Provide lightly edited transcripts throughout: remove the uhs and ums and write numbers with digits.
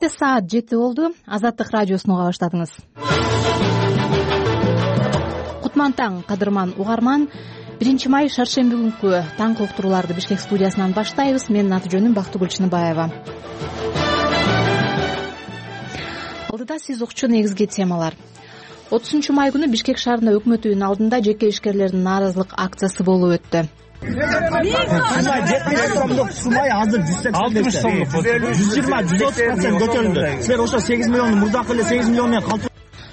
Саат 7 болду. Азаттык радиосун уга баштадыңыз. Кутман таң, кадырман угарман. 1 май шаршемби күнкү таңкы уктурууларды Бишкек студиясынан баштайбыз. Менин аты жөнүм Бактыгүл Чыныбаева. Алдыда сиз укчу негизги темалар. 30 май күнү Бишкек шаарында өкмөт үйүнүн алдында жеке ишкерлердин нааразылык акциясы болуп өттү. Сумай азыр 180 сомдук. 120-130% көтөрүлдү. Силер ошо 8 миллионду мурдакы эле 8 миллион менен калтырып.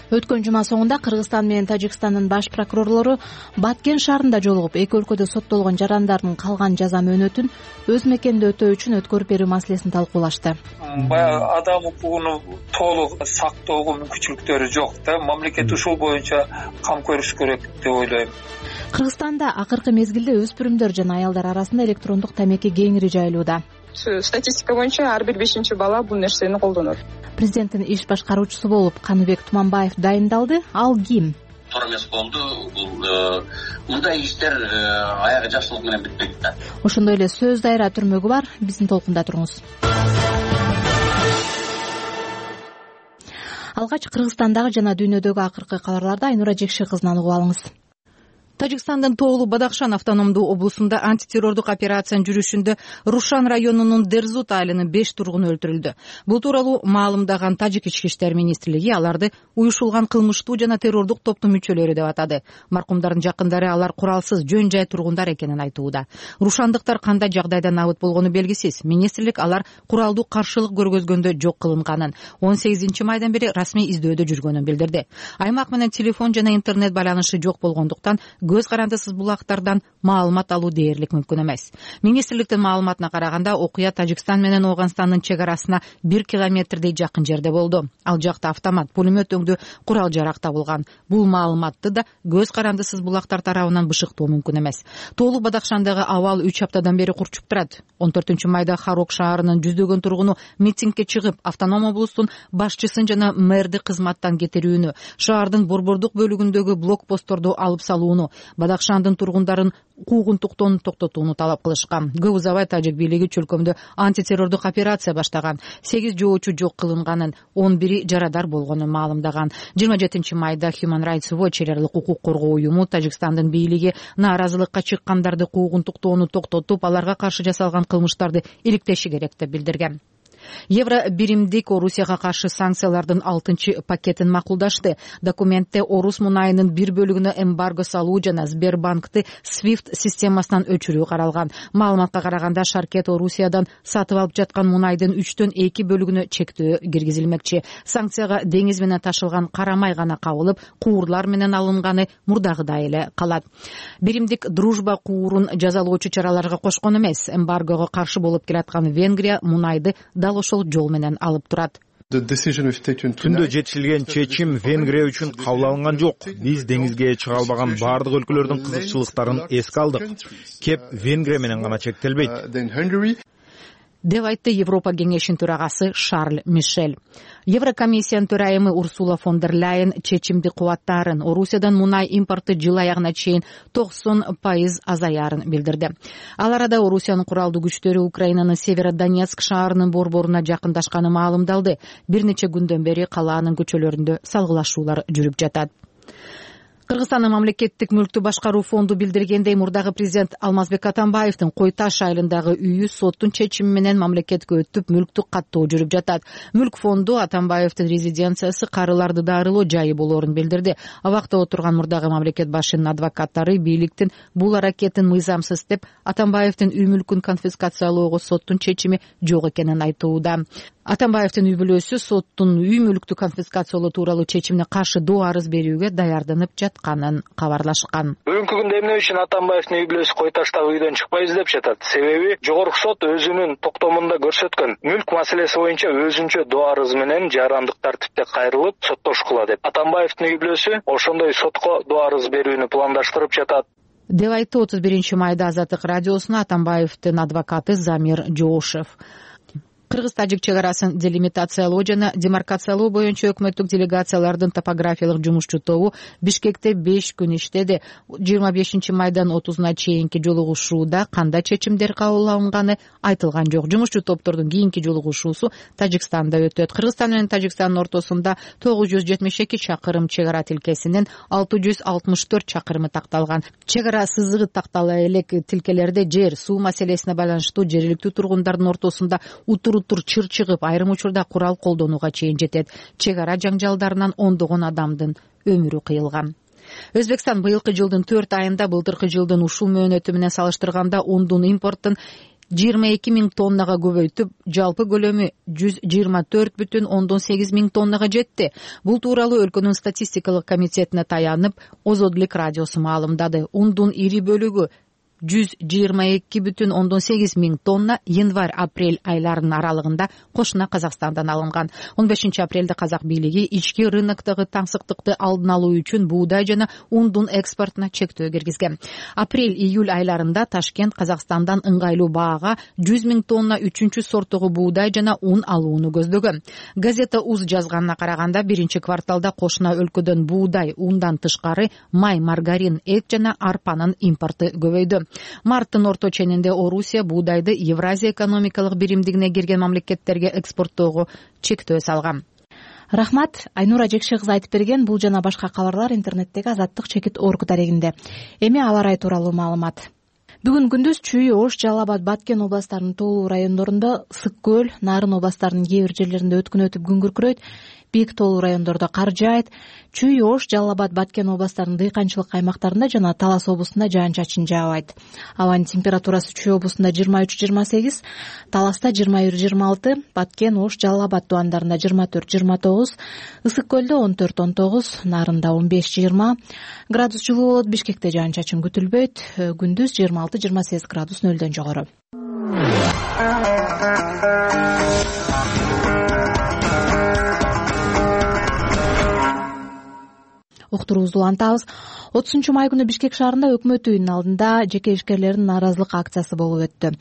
Өткөн жума соңунда Кыргызстан менен Тажикстандын баш прокурорлору Баткен шаарында жолугуп, эки өлкөдө соттолгон жарандардын калган жаза мөөнөтүн өз мекенде өтөө үчүн өткөрүп берүү маселесин талкуулашты. Баягы адам укугун толук сактоого мүмкүнчүлүктөрү жок да. Мамлекет ушул боюнча кам көрүш керек деп ойлойм. Кыргызстанда акыркы мезгилде өспүрүмдөр жана аялдар арасында электрондук тамеки кеңири жайылууда. Статистика боюнча ар бир 5-чи бала бул нерсени колдонот. Президенттин иш башкаруучусу болуп Каныбек Туманбаев дайындалды. Ал ким? Туура эмес болду. Бул мындай иштер аягы жакшылык менен бүтпөйт да. Ошондой эле сөз дайра түрмөгү бар. Биздин толкунда туруңуз. Алгач Кыргызстандагы жана дүйнөдөгү акыркы кабарларды Айнура Жекши кызынан угуп алыңыз. Тажикстандын Тоолу Бадахшан автономдуу облусунда антитеррордук операциянын жүрүшүндө Рушан районунун Дерзут айылынын 5 тургуну өлтүрүлдү. Бул тууралуу маалымдаган Тажик ички иштер министрлиги аларды уюшулган кылмыштуу жана террордук топтун мүчөлөрү деп атады. Маркумдардын жакындары алар куралсыз жөн жай тургундар экенин айтууда. Рушандыктар кандай жагдайда набыт болгону белгисиз. Министрлик алар куралдуу каршылык көргөзгөндө жок кылынганын, 18 майдан бери расмий издөөдө жүргөнүн билдирди. Аймак менен телефон жана интернет байланышы жок болгондуктан көз карандысыз булактардан маалымат алуу дээрлик мүмкүн эмес. Министрликтин маалыматына караганда окуя Тажикстан менен Ооганстандын чек арасына 1 километрдей жакын жерде болду. Ал жакта автомат, пулемет өңдүү курал жарак табылган. Бул маалыматты да көз карандысыз булактар тарабынан бышыктоо мүмкүн эмес. Тоолу Бадахшандагы абал 3 аптадан бери курчуп турат. 14 майда Харок шаарынын жүздөгөн тургуну митингге чыгып, автоном облустун башчысын жана мэрди кызматтан кетирүүнү, шаардын борбордук бөлүгүндөгү блокпостторду алып салууну, Бадахшандын тургундарын куугунтуктон токтотууну талап кылышкан. Көп узабай тажик бийлиги чөлкөмдө антитеррордук операция баштаган. 8 жоочу жок кылынганын, 11 жарадар болгонун маалымдаган. 27 майда Human Rights Watch элерлик укук коргоо уюму Тажикстандын бийлиги нааразылыкка чыккандарды куугунтуктоону токтотуп, аларга каршы жасалган кылмыштарды иликтеши керек деп билдирген. Евро биримдик Орусияга каршы санкциялардын 6 пакетин макулдашты. Документте Орус мунайынын бир бөлүгүнө эмбарго салуу жана Сбербанкты SWIFT системасынан өчүрүү каралган. Маалыматка караганда Шаркет Орусиядан сатып алып жаткан мунайдын 3төн 2 бөлүгүнө чектөө киргизилмекчи. Санкцияга деңиз менен ташылган карамай гана кабылып, куурлар менен алынганы мурдагыдай эле калат. Биримдик дружба куурун жазалоочу чараларга кошкон эмес. Эмбаргого каршы болуп келаткан Венгрия мунайды дал ошол жол менен алып турат. Түндө жетишилген чечим Венгрия үчүн кабыл алынган жок. Биз деңизге чыга албаган бардык өлкөлөрдүн кызыкчылыктарын эске алдык. Кеп Венгрия менен гана чектелбейт деп айтты Европа кеңешинин төрагасы Шарль Мишель. Еврокомиссиянын төрайымы Урсула фон дер Ляйен чечимди кубаттаарын, Орусиядан мунай импорты жыл аягына чейин 90% азаярын билдирди. Ал арада Орусиянын куралдуу күчтөрү Украинанын Северодонецк шаарынын борборуна жакындашканы маалымдалды. Бир нече күндөн бери калаанын көчөлөрүндө салгылашуулар жүрүп жатат. Кыргызстандын мамлекеттик мүлктү башкаруу фонду билдиргендей, мурдагы президент Алмазбек Атамбаевдин Кой Таш айылындагы үйү соттун чечими менен мамлекетке өтүп, мүлктү каттоо жүрүп жатат. Мүлк фонду Атамбаевдин резиденциясы карыларды дарылоо жайы болоорун билдирди. Абакта отурган мурдагы мамлекет башчынын адвокаттары бийликтин бул аракетин мыйзамсыз деп, Атамбаевдин үй мүлкүн конфискациялоого соттун чечими жок экенин айтууда. Атамбаевдин үй бүлөсү соттун үй мүлктү конфискациялоо тууралуу чечимине каршы доо арыз берүүгө даярданып жатканын кабарлашкан. Бүгүнкү күндө эмне үчүн Атамбаевдин үй бүлөсү Кой Таштагы үйдөн чыкпайбыз деп жатат? Себеби жогорку сот өзүнүн токтомунда көрсөткөн мүлк маселеси боюнча өзүнчө доо арыз менен жарандык тартипте кайрылып соттошкула деп. Атамбаевдин үй бүлөсү ошондой сотко доо арыз берүүнү пландаштырып жатат деп айтты 31 майда Азаттык радиосуна Атамбаевдин адвокаты Замир Жоошев. Кыргыз-тажик чек арасын делимитациялоо жана демаркациялоо боюнча өкмөттүк делегациялардын топографиялык жумушчу тобу Бишкекте 5 күн иштеди. 25 майдан 30-на чейинки жолугушууда кандай чечимдер кабыл алынганы айтылган жок. Жумушчу топтордун кийинки жолугушуусу Тажикстанда өтөт. Кыргызстан менен Тажикстандын ортосунда 972 чакырым чек ара тилкесинин 664 чакырымы такталган. Чек ара сызыгы тактала элек тилкелерде жер, суу маселесине байланыштуу жергиликтүү тургундардын ортосунда утур чыр чыгып, айрым учурда курал колдонууга чейин жетет. Чек ара жаңжалдарынан ондогон адамдын өмүрү кыйылган. Өзбекстан быйылкы жылдын 4 айында былтыркы жылдын ушул мөөнөтү менен салыштырганда ундун импортун 22 миң тоннага көбөйтүп, жалпы көлөмү 124,8 миң тоннага жетти. Бул тууралуу өлкөнүн статистикалык комитетине таянып, Озодлик радиосу маалымдады. Ундун ири бөлүгү 122,8 миң тонна январь-апрель айларынын аралыгында кошуна Казакстандан алынган. 15 апрелде казак бийлиги ички рыноктогу таңсыктыкты алдын алуу үчүн буудай жана ундун экспортуна чектөө киргизген. Апрель-июль айларында Ташкент Казакстандан ыңгайлуу баага 100 миң тонна 3-чү сорттогу буудай жана ун алууну көздөгөн. Газета УЗ жазганына караганда, биринчи кварталда кошуна өлкөдөн буудай, ундан тышкары май, маргарин, эт жана арпанын импорту көбөйдү. Марттын орто ченинде Орусия буудайды Евразия экономикалык биримдигине кирген мамлекеттерге экспорттоого чектөө салган. Рахмат, Айнура Жекше кызы айтып берген. Бул жана башка кабарлар интернеттеги Азаттык чекит орг дарегинде. Эми аба ырайы тууралуу маалымат. Бүгүн күндүз Чүй, Ош, Жалал Абад, Баткен областарынын тоолуу райондорунда, Ысык көл, Нарын областарынын кээ бир жерлеринде өткүн өтүп күн күркүрөйт. Бийик тоолуу райондордо кар жаайт. Чүй, Ош, Жалал Абад, Баткен областарынын дыйканчылык аймактарында жана Талас облусунда жаан-чачын жаабайт. Абанын температурасы Чүй облусунда 23-28, Таласта 21-26, Баткен, Ош, Жалал Абад тубандарында 24-29, Ысык көлдө 14-19, Нарында 15-20 градус жылуу болот. Бишкекте жаан-чачын күтүлбөйт. Күндүз 26-28 градус нөлдөн жогору. Уктуруубузду улантабыз. 30-май күнү Бишкек шаарында өкмөт үйүнүн алдында жеке ишкерлердин нааразылык акциясы болуп өттү.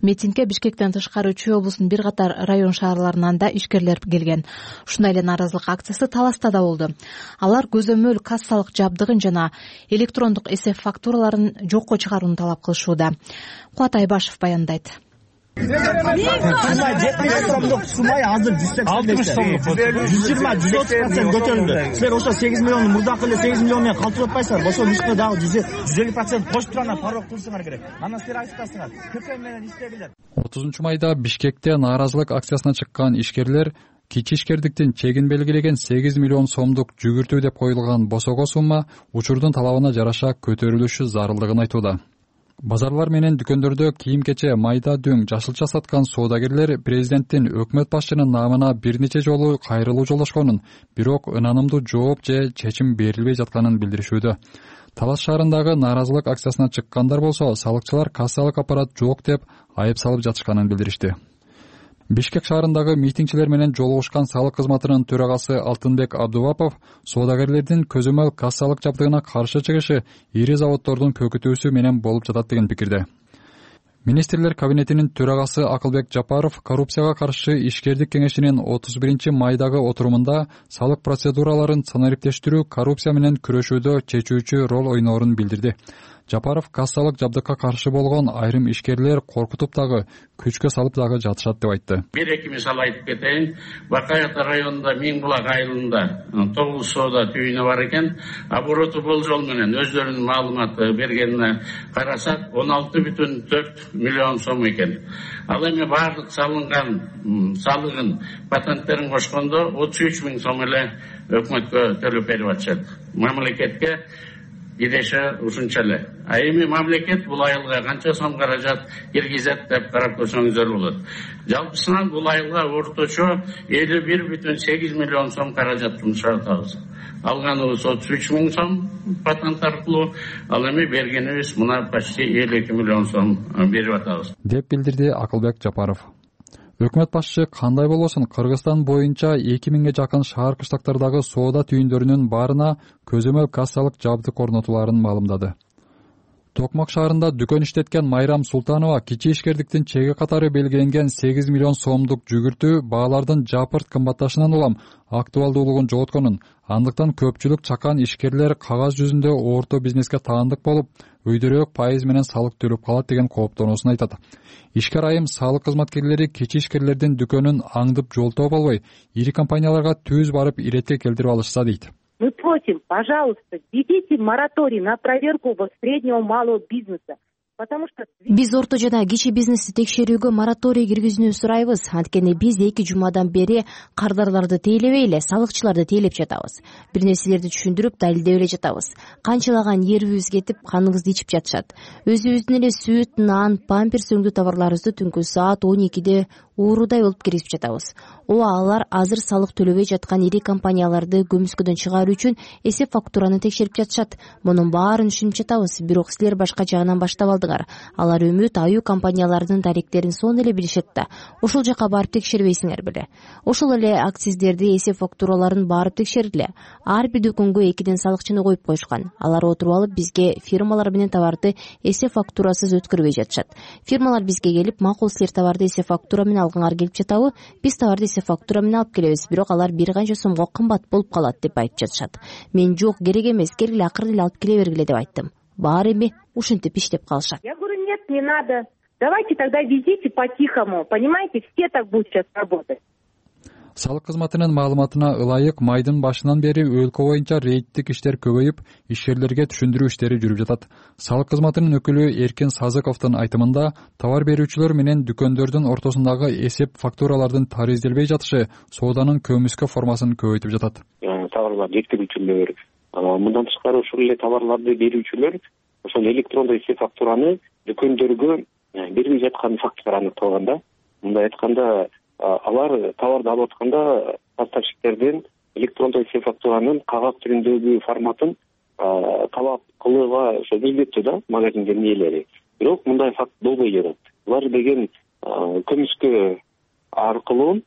Митингге Бишкектен тышкары Чүй облусунун бир катар район шаарларынан да ишкерлер келген. Ушундай эле нааразылык акциясы Таласта да болду. Алар көзөмөл кассалык жабдыгын жана электрондук эсеп фактураларын жокко чыгарууну талап кылышууда. Кубат Айбашев баяндайт. Сумай азыр 180 сомдук 120-130% көтөрүлдү. Силер ошо 8 миллионду мурдакы эле 8 миллион менен калтырып атпайсыздарбы? Ошол ишке дагы 150% кошуп турганда парок кылышыңар керек. Анан силер айтасыңар, КП менен иштегилер. 30-майда Бишкекте нааразылык акциясына чыккан ишкерлер кичи ишкердиктин чегин белгилеген 8 миллион сомдук жүгүртүү деп коюлган босого сумма учурдун талабына жараша көтөрүлүшү зарылдыгын айтууда. Базарлар менен дүкөндөрдө кийим-кече, майда дөң, жашылча саткан соодагерлер президенттин өкмөт башчынын наамына бир нече жолу кайрылуу жолдошконун, бирок ынанымдуу жооп же чечим берилбей жатканын билдиришүүдө. Талас шаарындагы нааразылык акциясына чыккандар болсо, салыкчылар кассалык аппарат жок деп айып салып жатышканын билдиришти. Бишкек шаарындагы митингчилер менен жолугушкан салык кызматынын төрагасы Алтынбек Абдувапов соодагерлердин көзөмөл кассалык жабдыгына каршы чыгышы ири заводдордун көкүтүүсү менен болуп жатат деген пикирде. Министрлер кабинетинин төрагасы Акылбек Жапаров коррупцияга каршы ишкердик кеңешинин 31-майдагы отурумунда салык процедураларын санариптештирүү коррупция менен күрөшүүдө чечүүчү роль ойноорун билдирди. Жапаров кассалык жабдыкка каршы болгон айрым ишкерлер коркутуп дагы, күчкө салып дагы жатышат деп айтты. Бир-эки мисал айтып кетейин. Бакай ата районунда Миңбулак айылында 9 соода түйүнү бар экен. Обороту болжол менен өздөрүнүн маалымат бергенине карасак 16,4 миллион сом экен. Ал эми баардык салынган салыгын, патенттерин кошкондо 33 миң сом эле өкмөткө төлөп берип атышат. Мамлекетке идеше ушунча эле. А эми мамлекет бул айылга канча сом каражат киргизет деп карап көрсөңүздөр болот. Жалпысынан бул айылга орточо 51,8 миллион сом каражат жумшатабыз. Алганыбыз 33 миң сом патент аркылуу, ал эми бергенибиз мына почти 52 миллион сом берип атабыз деп билдирди Акылбек Жапаров. Өкмөт башчы кандай болбосун Кыргызстан боюнча 2000ге жакын шаар кыштактардагы соода түйүндөрүнүн баарына көзөмөл кассалык жабдык орнотуларын маалымдады. Токмак шаарында дүкөн иштеткен Майрам Султанова кичи ишкердиктин чеги катары белгиленген 8 миллион сомдук жүгүртүү баалардын жапырт кымбатташынан улам актуалдуулугун жоготконун, андыктан көпчүлүк чакан ишкерлер кагаз жүзүндө орто бизнеске таандык болуп, өйдөрөөк пайыз менен салык төлөп калат деген кооптонуусун айтат. Ишкер айым салык кызматкерлери кичи ишкерлердин дүкөнүн аңдып жолтоп албай, ири компанияларга түз барып иретке келтирип алышса дейт. Мы просим, пожалуйста, введите мораторий на проверку среднего малого бизнеса. Биз орто жана кичи бизнести текшерүүгө мораторий киргизүүнү сурайбыз. Анткени биз 2 жумадан бери кардарларды тейлебей эле салыкчыларды тейлеп жатабыз. Бир нерселерди түшүндүрүп, далилдеп эле жатабыз. Канчалаган ерибиз кетип, каныбызды ичип жатышат. Өзүбүздүн эле сүт, нан, памперс өңдүү товарларыбызды түнкү саат 12де уурудай болуп киргизип жатабыз. Ооба, алар азыр салык төлөбөй жаткан ири компанияларды көмүскөдөн чыгаруу үчүн эсеп фактураны текшерип жатышат. Мунун баарын түшүнүп жатабыз, бирок силер башка жагынан баштап алдыңар. Алар үмүт аюу компаниялардын тариктерин сонун эле билишет да. Ошол жака барып текшербейсиңер беле? Ошол эле акциздерди, эсеп фактураларын барып текшергиле. Ар бир дүкөнгө 2ден салыкчыны коюп коюшкан. Алар отуруп алып бизге фирмалар менен товарды эсеп фактурасыз өткөрбөй жатышат. Фирмалар бизге келип, макул силер товарды эсеп фактура менен алгыңар келип жатабы? Биз товарды эсеп фактура менен алып келебиз, бирок алар бир канча сомго кымбат болуп калат деп айтып жатышат. Мен жок, керек эмес, келгиле акырын эле алып келе бергиле деп айттым. Баары эми ушинтип иштеп калышат. Я говорю, нет, не надо. Давайте тогда везите по-тихому. Понимаете, все так будут сейчас работать. Салык кызматынын маалыматына ылайык майдын башынан бери өлкө боюнча рейдтик иштер көбөйүп, ишкерлерге түшүндүрүү иштери жүрүп жатат. Салык кызматынын өкүлү Эркин Сазыковдун айтымында, товар берүүчүлөр менен дүкөндөрдүн ортосундагы эсеп фактуралардын таризделбей жатышы сооданын көмүскө формасын көбөйтүп жатат. Товарлар жеткирүүчүлөр, мындан тышкары ошол эле товарларды берүүчүлөр ошол электрондой эсеп фактураны дүкөндөргө бербей жаткан фактылар аныкталган да. Мындай айтканда, алар товарды алып атканда поставщиктерден электрондой эсеп фактуранын кагаз түрүндөгү форматын талап кылууга ошо милдеттүү да магазиндердин ээлери. Бирок мындай факт болбой жатат. Булар деген көмүскө аркылуу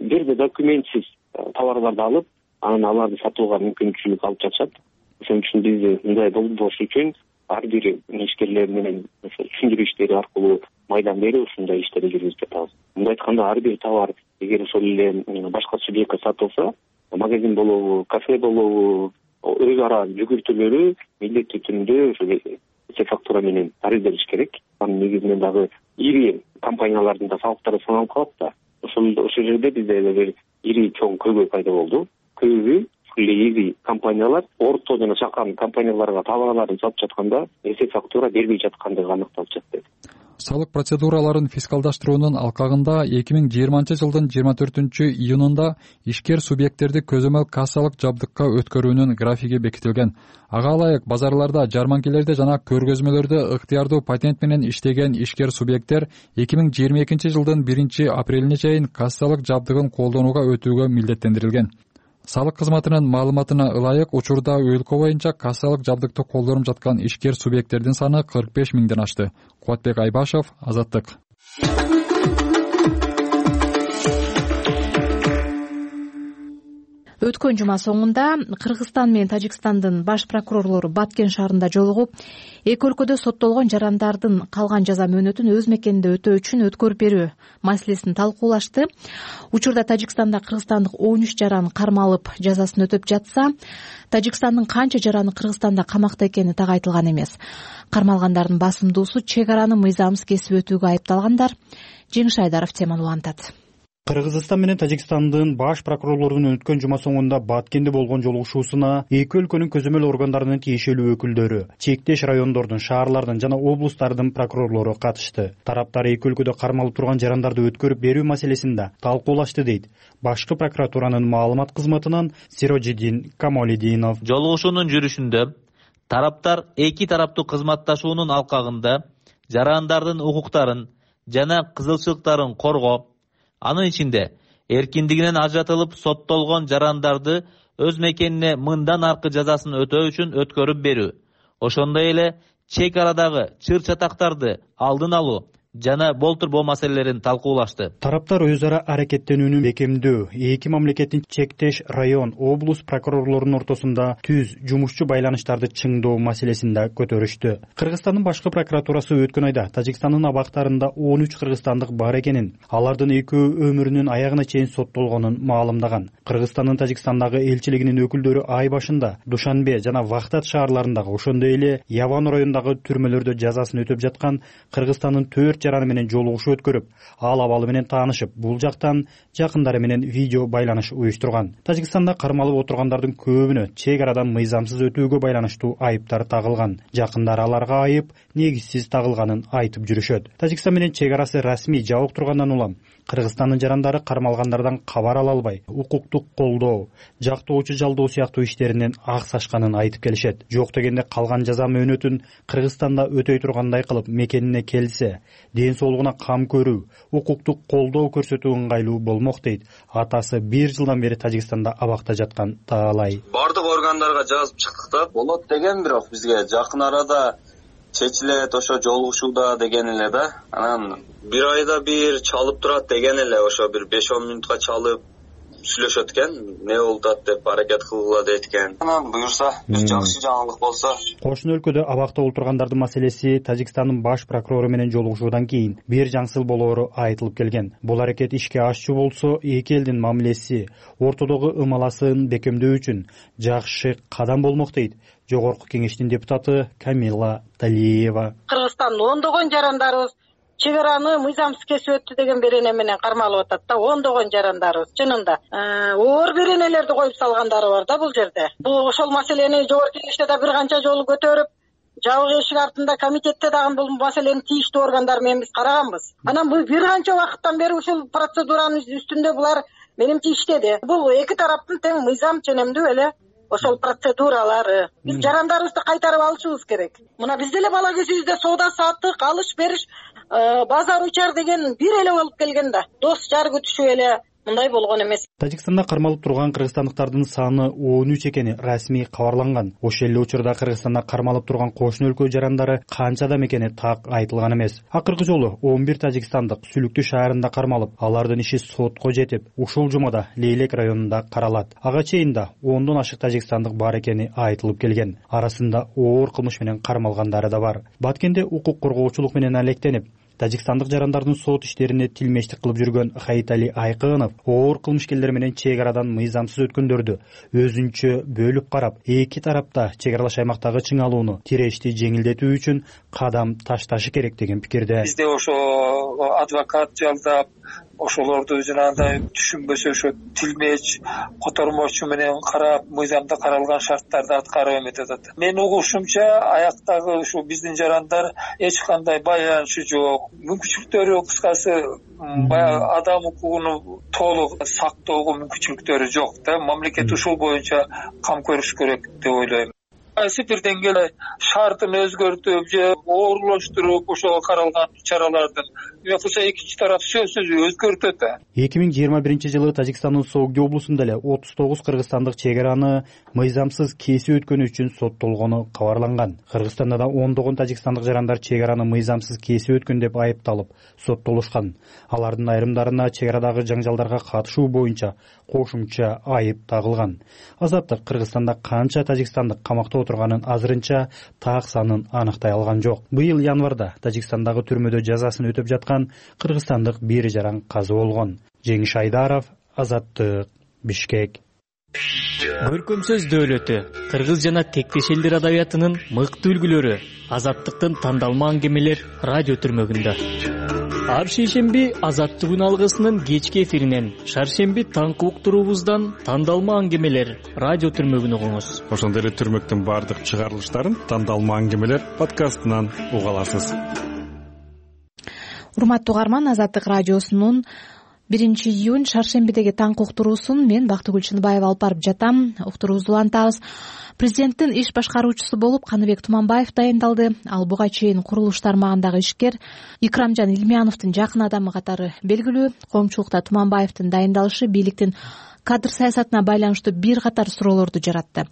бир да документсиз товарларды алып, анан аларды сатууга мүмкүнчүлүк алып жатышат. Ошон үчүн биз мындай болбош үчүн ар бир ишкерлер менен түшүндүрүү иштери аркылуу майдан бери ушундай иштерди жүргүзүп жатабыз. Мындай айтканда, ар бир товар эгер ошол эле башка субъектке сатылса, магазин болобу, кафе болобу, өз ара жүгүртүүлөрү милдеттүү түрдө ошол эсеп фактура менен таризделиш керек. Анын негизинен дагы ири компаниялардын да салыктары саналып калат да. Ошол жерде бизде бир ири чоң көйгөй пайда болду. Көбү ири компаниялар орто жана чакан компанияларга товарларын сатып жатканда эсеп фактура бербей жаткандыгы аныкталып жатты. Салык процедураларын фискалдаштыруунун алкагында 2020 жылдын 24-июнунда ишкер субъекттерди көзөмөл кассалык жабдыкка өткөрүүнүн графиги бекитилген. Ага ылайык базарларда, жарманкелерде жана көргөзмөлөрдө ыктыярдуу патент менен иштеген ишкер субъекттер 2022 жылдын 1-апрелине чейин кассалык жабдыгын колдонууга өтүүгө милдеттендирилген. Салык кызматынын маалыматына ылайык учурда өлкө боюнча кассалык жабдыкты колдонуп жаткан ишкер субъекттердин саны 45 миңден ашты. Кубатбек Айбашев, Азаттык. Өткөн жума соңунда Кыргызстан менен Тажикстандын баш прокурорлору Баткен шаарында жолугуп, эки өлкөдө соттолгон жарандардын калган жаза мөөнөтүн өз мекенинде өтөө үчүн өткөрүп берүү маселесин талкуулашты. Учурда Тажикстанда кыргызстандык 13 жаран кармалып жазасын өтөп жатса, Тажикстандын канча жараны Кыргызстанда камакта экени так айтылган эмес. Кармалгандардын басымдуусу чек араны мыйзамсыз кесип өтүүгө айыпталгандар. Жеңиш Айдаров теманы улантат. Кыргызстан менен Тажикстандын баш прокурорлорунун өткөн жума соңунда Баткенде болгон жолугушуусуна эки өлкөнүн көзөмөл органдарынын тиешелүү өкүлдөрү, чектеш райондордун, шаарлардын жана облустардын прокурорлору катышты. Тараптар эки өлкөдө кармалып турган жарандарды өткөрүп берүү маселесин да талкуулашты дейт башкы прокуратуранын маалымат кызматынан Сирожидин Камолидинов. Жолугушуунун жүрүшүндө тараптар эки тараптуу кызматташуунун алкагында жарандардын укуктарын жана кызыкчылыктарын коргоо, анын ичинде эркиндигинен ажыратылып соттолгон жарандарды өз мекенине мындан аркы жазасын өтөө үчүн өткөрүп берүү, ошондой эле чек арадагы чыр чатактарды алдын алуу жана болтурбоо маселелерин талкуулашты. Тараптар өз ара аракеттенүүнү бекемдөө, эки мамлекеттин чектеш район, облус прокурорлорунун ортосунда түз жумушчу байланыштарды чыңдоо маселесин да көтөрүштү. Кыргызстандын башкы прокуратурасы өткөн айда Тажикстандын абактарында 13 кыргызстандык бар экенин, алардын экөө өмүрүнүн аягына чейин соттолгонун маалымдаган. Кыргызстандын Тажикстандагы элчилигинин өкүлдөрү ай башында Душанбе жана Вахтат шаарларындагы, ошондой эле Яван районундагы түрмөлөрдө жазасын өтөп жаткан Кыргызстандын 4 жараны менен жолугушуу өткөрүп, ал абалы менен таанышып, бул жактан жакындары менен видео байланыш уюштурган. Тажикстанда кармалып отургандардын көбүнө чек арадан мыйзамсыз өтүүгө байланыштуу айыптар тагылган. Жакындары аларга айып негизсиз тагылганын айтып жүрүшөт. Тажикстан менен чек арасы расмий жабык тургандан улам Кыргызстандын жарандары кармалгандардан кабар ала албай, укуктук колдоо, жактоочу жалдоо сыяктуу иштеринен аксашканын айтып келишет. Жок дегенде калган жаза мөөнөтүн Кыргызстанда өтөй тургандай кылып мекенине келсе, ден соолугуна кам көрүү, укуктук колдоо көрсөтүү ыңгайлуу болмок дейт атасы 1 жылдан бери Тажикстанда абакта жаткан Таалай. Бардык органдарга жазып чыктык да, болот деген, бирок бизге жакын арада чечилет, ошо жолугушууда деген эле да. Анан 1 айда бир чалып турат деген эле, ошо бир 5-10 мүнөткө чалып сүйлөшөт экен, не болуп атат деп аракет кылгыла дейт экен. Анан буюрса, бир жакшы жаңылык болсо. Кошуна өлкөдө абакта олтургандардын маселеси Тажикстандын баш прокурору менен жолугушуудан кийин бир жаңсыл болоору айтылып келген. Бул аракет ишке ашчу болсо, эки элдин мамилеси, ортодогу ымаласын бекемдөө үчүн жакшы кадам болмок дейт Жогорку кеңештин депутаты Камила Талиева. Кыргызстандын ондогон жарандарыбыз чек араны мыйзамсыз кесип өттү деген берене менен кармалып атат да, ондогон жарандарыбыз чынында. Оор беренелерди коюп салгандары бар да бул жерде. Бул ошол маселени Жогорку кеңеште да бир канча жолу көтөрүп, жабык эшик артында комитетте дагы бул маселени тийиштүү органдар менен биз караганбыз. Анан бул бир канча убакыттан бери ушул процедуранын үстүндө булар менимче иштеди. Бул эки тараптын тең мыйзам ченемдүү эле ошол процедуралары. Биз жарандарыбызды кайтарып алышыбыз керек. Мына биз деле бала кезибизде соода саттык, алыш бериш, базар учар деген бир эле болуп келген да. Дос жар күтүшүп эле мындай болгон эмес. Тажикстанда кармалып турган кыргызстандыктардын саны 13 экени расмий кабарланган. Ошол эле учурда Кыргызстанда кармалып турган кошуна өлкө жарандары канча адам экени так айтылган эмес. Акыркы жолу 11 тажикстандык Сүлүктүү шаарында кармалып, алардын иши сотко жетип, ушул жумада Лейлек районунда каралат. Ага чейин да 10дон ашык тажикстандык бар экени айтылып келген. Арасында оор кылмыш менен кармалгандары да бар. Баткенде укук коргоочулук менен алектенип, тажикстандык жарандардын сот иштерине тилмештик кылып жүргөн Хайтали Айкынов оор кылмышкерлер менен чек арадан мыйзамсыз өткөндөрдү өзүнчө бөлүп карап, эки тарапта чек аралаш аймактагы чыңалууну, тирешти жеңилдетүү үчүн кадам ташташы керек деген пикирде. Бизде ошо адвокат жалдап, ошолорду жанагындай түшүнбөсө ошо тилмеч, котормочу менен карап, мыйзамда каралган шарттарды аткарып эметип атат. Мен угушумча, аяктагы ушу биздин жарандар эч кандай байланышы жок, мүмкүнчүлүктөрү кыскасы баягы адам укугуну толук сактоого мүмкүнчүлүктөрү жок да. Мамлекет ушул боюнча кам көрүш керек деп ойлойм. Кайсы бир деңгээлде шартын өзгөртүп же оорлоштуруп ошого каралган чаралардын кылса экинчи тарап сөзсүз өзгөртөт. 2021-жылы Тажикстандын Согди облусунда эле 39 кыргызстандык чек араны мыйзамсыз кесип өткөнү үчүн соттолгону кабарланган. Кыргызстанда да ондогон тажикстандык жарандар чек араны мыйзамсыз кесип өткөн деп айыпталып соттолушкан. Алардын айрымдарына чек арадагы жаңжалдарга катышуу боюнча кошумча айып тагылган. Азаттык Кыргызстанда канча тажикстандык камакта отурганын азырынча так санын аныктай алган жок. Быйыл январда Тажикстандагы түрмөдө жазасын өтөп жаткан кыргызстандык бир жаран каза болгон. Жеңиш Айдаров, Азаттык, Бишкек. Көркөмсөз дөөлөтү, кыргыз жана тектеш элдер адабиятынын мыкты үлгүлөрү, Азаттыктын тандалма аңгемелер радио түрмөгүндө. Ар шейшемби Азаттык алгысынын кечки эфиринен, шаршемби таңкы уктуруубуздан тандалма аңгемелер радио түрмөгүн угуңуз. Ошондой эле түрмөктүн бардык чыгарылыштарын тандалма аңгемелер подкастынан уга аласыз. Урматтуу угарман, Азаттык радиосунун 1-июнь шаршембидеги таңкы уктуруусун мен Бактыгүл Чыныбаева алып барып жатам. Уктуруубузду улантабыз. Президенттин иш башкаруучусу болуп Каныбек Туманбаев дайындалды. Ал буга чейин курулуш тармагындагы ишкер Икрамжан Илмияновдун жакын адамы катары белгилүү. Коомчулукта Туманбаевдин дайындалышы бийликтин кадр саясатына байланыштуу бир катар суроолорду жаратты.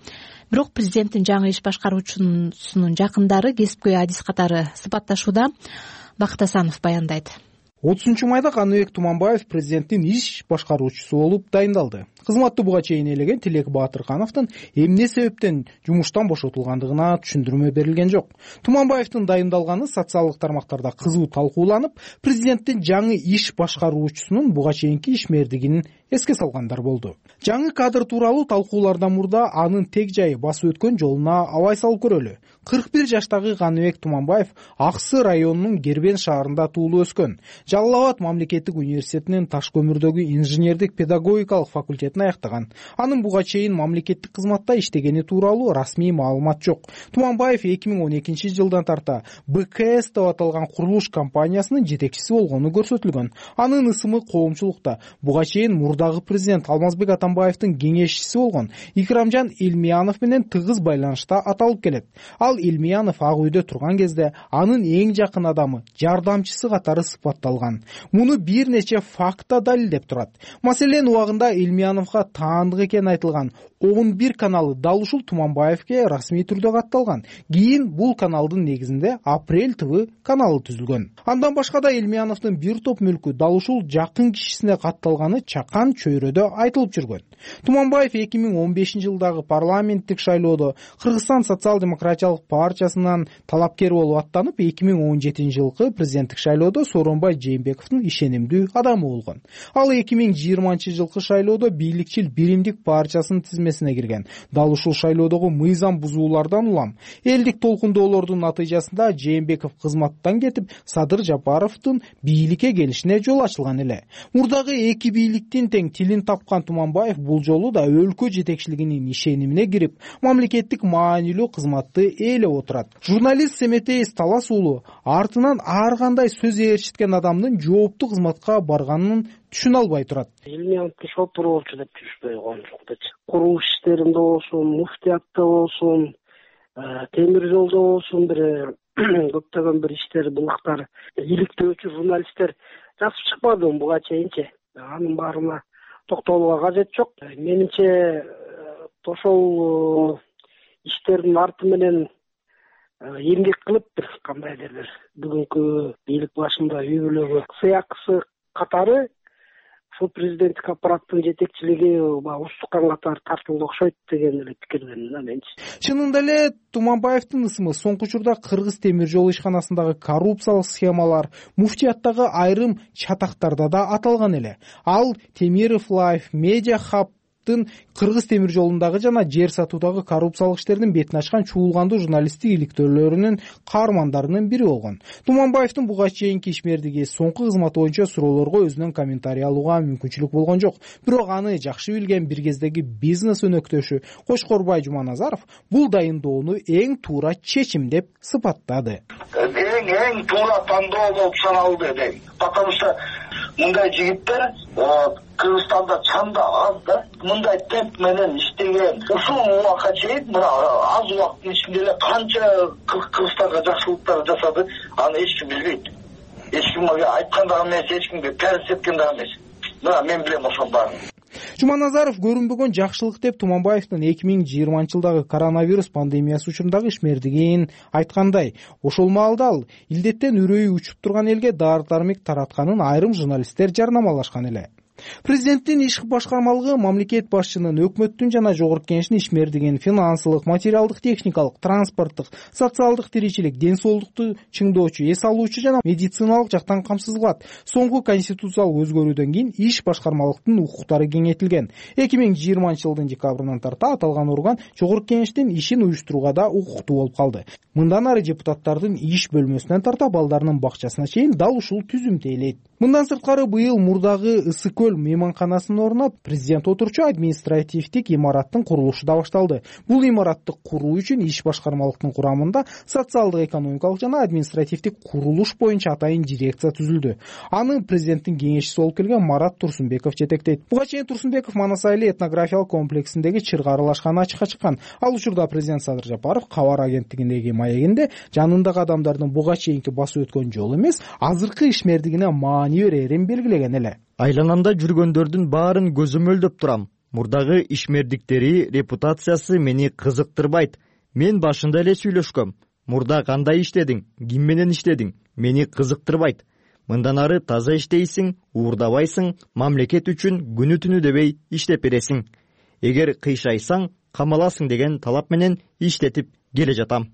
Бирок президенттин жаңы иш башкаруучусунун жакындары кесипкөй адис катары сыпатташууда. Бакыт Асанов баяндайт. 30 майда Каныбек Туманбаев президенттин иш башкаруучусу болуп дайындалды. Кызматты буга чейин ээлеген Тилек Баатыркановдун эмне себептен жумуштан бошотулгандыгына түшүндүрмө берилген жок. Туманбаевдин дайындалганы социалдык тармактарда кызуу талкууланып, президенттин жаңы иш башкаруучусунун буга чейинки ишмердигин эске салгандар болду. Жаңы кадр тууралуу талкуулардан мурда анын тег жайы басып өткөн жолуна абай салып көрөлү. 41 жаштагы Каныбек Туманбаев Аксы районунун Гербен шаарында туулуп өскөн. Жалал Абад мамлекеттик университетинин таш көмүрдөгү инженердик педагогикалык факультетин аяктаган. Анын буга чейин мамлекеттик кызматта иштегени тууралуу расмий маалымат жок. Туманбаев 2012 жылдан тарта БКС деп аталган курулуш компаниясынын жетекчиси болгону көрсөтүлгөн. Анын ысымы коомчулукта буга чейин мурдагы президент Алмазбек Атамбаевдин кеңешчиси болгон Икрамжан Илмиянов менен тыгыз байланышта аталып келет. Ал Илмиянов Ак үйдө турган кезде анын эң жакын адамы, жардамчысы катары сыпатталган. Муну бир нече факта далилдеп турат. Маселен, убагында Илмияновго таандык экени айтылган 11 каналы дал ушул Туманбаевге расмий түрдө катталган. Кийин бул каналдын негизинде Апрель ТВ каналы түзүлгөн. Андан башка да Илмияновдун бир топ мүлкү дал ушул жакын кишисине катталганы чакан чөйрөдө айтылып жүргөн. Туманбаев 2015 жылдагы парламенттик шайлоодо Кыргызстан социал-демократиялык партиясынан талапкер болуп аттанып, 2017 жылкы президенттик шайлоодо Сооронбай Жээнбековдун ишенимдүү адамы болгон. Ал 2020 жылкы шайлоодо бийликчил Биримдик партиясынын тизмесине кирген. Дал ушул шайлоодогу мыйзам бузуулардан улам элдик толкундоолордун натыйжасында Жээнбеков кызматтан кетип, Садыр Жапаровдун бийликке келишине жол ачылган эле. Мурдагы эки бийликтин тең тилин тапкан Туманбаев бул жолу да өлкө жетекчилигинин ишенимине кирип, мамлекеттик маанилүү кызматты ээлеп отурат. Журналист Семетейс Талас уулу артынан ар кандай сөз ээрчиткен адамдын жооптуу кызматка барганын түшүнө албай турат. Илмияновду шопур болчу деп түшпөй коюмчукчу. Курулуш иштеринде болсун, муфтиятта болсун, темир жолдо болсун, көптөгөн бир иштер, булактар, иликтөөчү журналисттер жазып чыкпады буга чейинчи. Анын баарына токтолууга кажет жок. Менимче ошол иштердин арты менен эмгек кылып кандайдыр бүгүнкү бийлик башында үй бүлөгө сыякысы катары ушул президенттик аппараттын жетекчилиги устукан катары тартылды окшойт деген эле пикирдемин да менчи. Чынында эле Туманбаевдин ысымы соңку учурда Кыргыз темир жол ишканасындагы коррупциялык схемалар, муфтияттагы айрым чатактарда да аталган эле. Ал Темиров Лайф, Медиа Хаб Кыргыз темир жолундагы жана жер сатуудагы коррупциялык иштердин бетин ачкан чуулгандуу журналисттик иликтөөлөрүнүн каармандарынын бири болгон. Туманбаевдин буга чейинки ишмердиги, соңку кызматы боюнча суроолорго өзүнөн комментарий алууга мүмкүнчүлүк болгон жок. Бирок аны жакшы билген бир кездеги бизнес өнөктөшү Кошкорбай Жуманазаров бул дайындоону эң туура чечим деп сыпаттады. Эң туура тандоо болуп саналды дейм. Потому что мындай жигиттер Кыргызстанда чанда аз да. Мындай темп менен иштеген ушул убакка чейин мына аз убакыттын ичинде эле канча Кыргызстанга жакшылыктар жасады, аны эч ким билбейт. Эч кимге айткан да эмес, эч кимге перс эткен да эмес. Мына мен билем ошол баарын. Жуманазаров көрүнбөгөн жакшылык деп Туманбаевдин 2020 жылдагы коронавирус пандемиясы учурундагы ишмердигин айткандай, ошол маалда ал илдеттен үрөйү учуп турган элге дары-дармек таратканын айрым журналисттер жарнамалашкан эле. Президенттин иш башкармалыгы мамлекет башчынын, өкмөттүн жана жогорку кеңештин ишмердигин финансылык, материалдык, техникалык, транспорттук, социалдык тиричилик, ден соолукту чыңдоочу, эс алуучу жана медициналык жактан камсыз кылат. Соңку конституциялык өзгөрүүдөн кийин иш башкармалыктын укуктары кеңейтилген. 2020 жылдын декабрынан тарта аталган орган жогорку кеңештин ишин уюштурууга да укуктуу болуп калды. Мындан ары депутаттардын иш бөлмөсүнөн тарта балдарынын бакчасына чейин дал ушул түзүмдү ээлейт. Мындан сырткары быйыл мурдагы Ысык көл мейманканасын орнап, президент отурчу административдик имараттын курулушу да башталды. Бул имаратты куруу үчүн иш башкармалыктын курамында социалдык, экономикалык жана административдик курулуш боюнча атайын дирекция түзүлдү. Аны президенттин кеңешчиси болуп келген Марат Турсунбеков жетектейт. Буга чейин Турсунбеков Манасайли этнографиялык комплексиндеги чырга аралашканы ачыкка чыккан. Ал учурда президент Садыр Жапаров кабар агенттигиндеги маегинде жанындагы адамдардын буга чейинки басып өткөн жолу эмес, азыркы ишмердигине маани берерин белгилеген эле. Айланамда жүргөндөрдүн баарын көзөмөлдөп турам. Мурдагы ишмердиктери репутациясы мени кызыктырбайт. Мен башында эле сүйлөшкөм. Мурда кандай иштедиң? Ким менен иштедиң? мени кызыктырбайт. Мындан ары таза иштейсиң, уурдабайсың, мамлекет үчүн күнү түнү дебей иштеп бересиң. Эгер кыйшайсаң, камаласың деген талап менен иштетип келе жатам.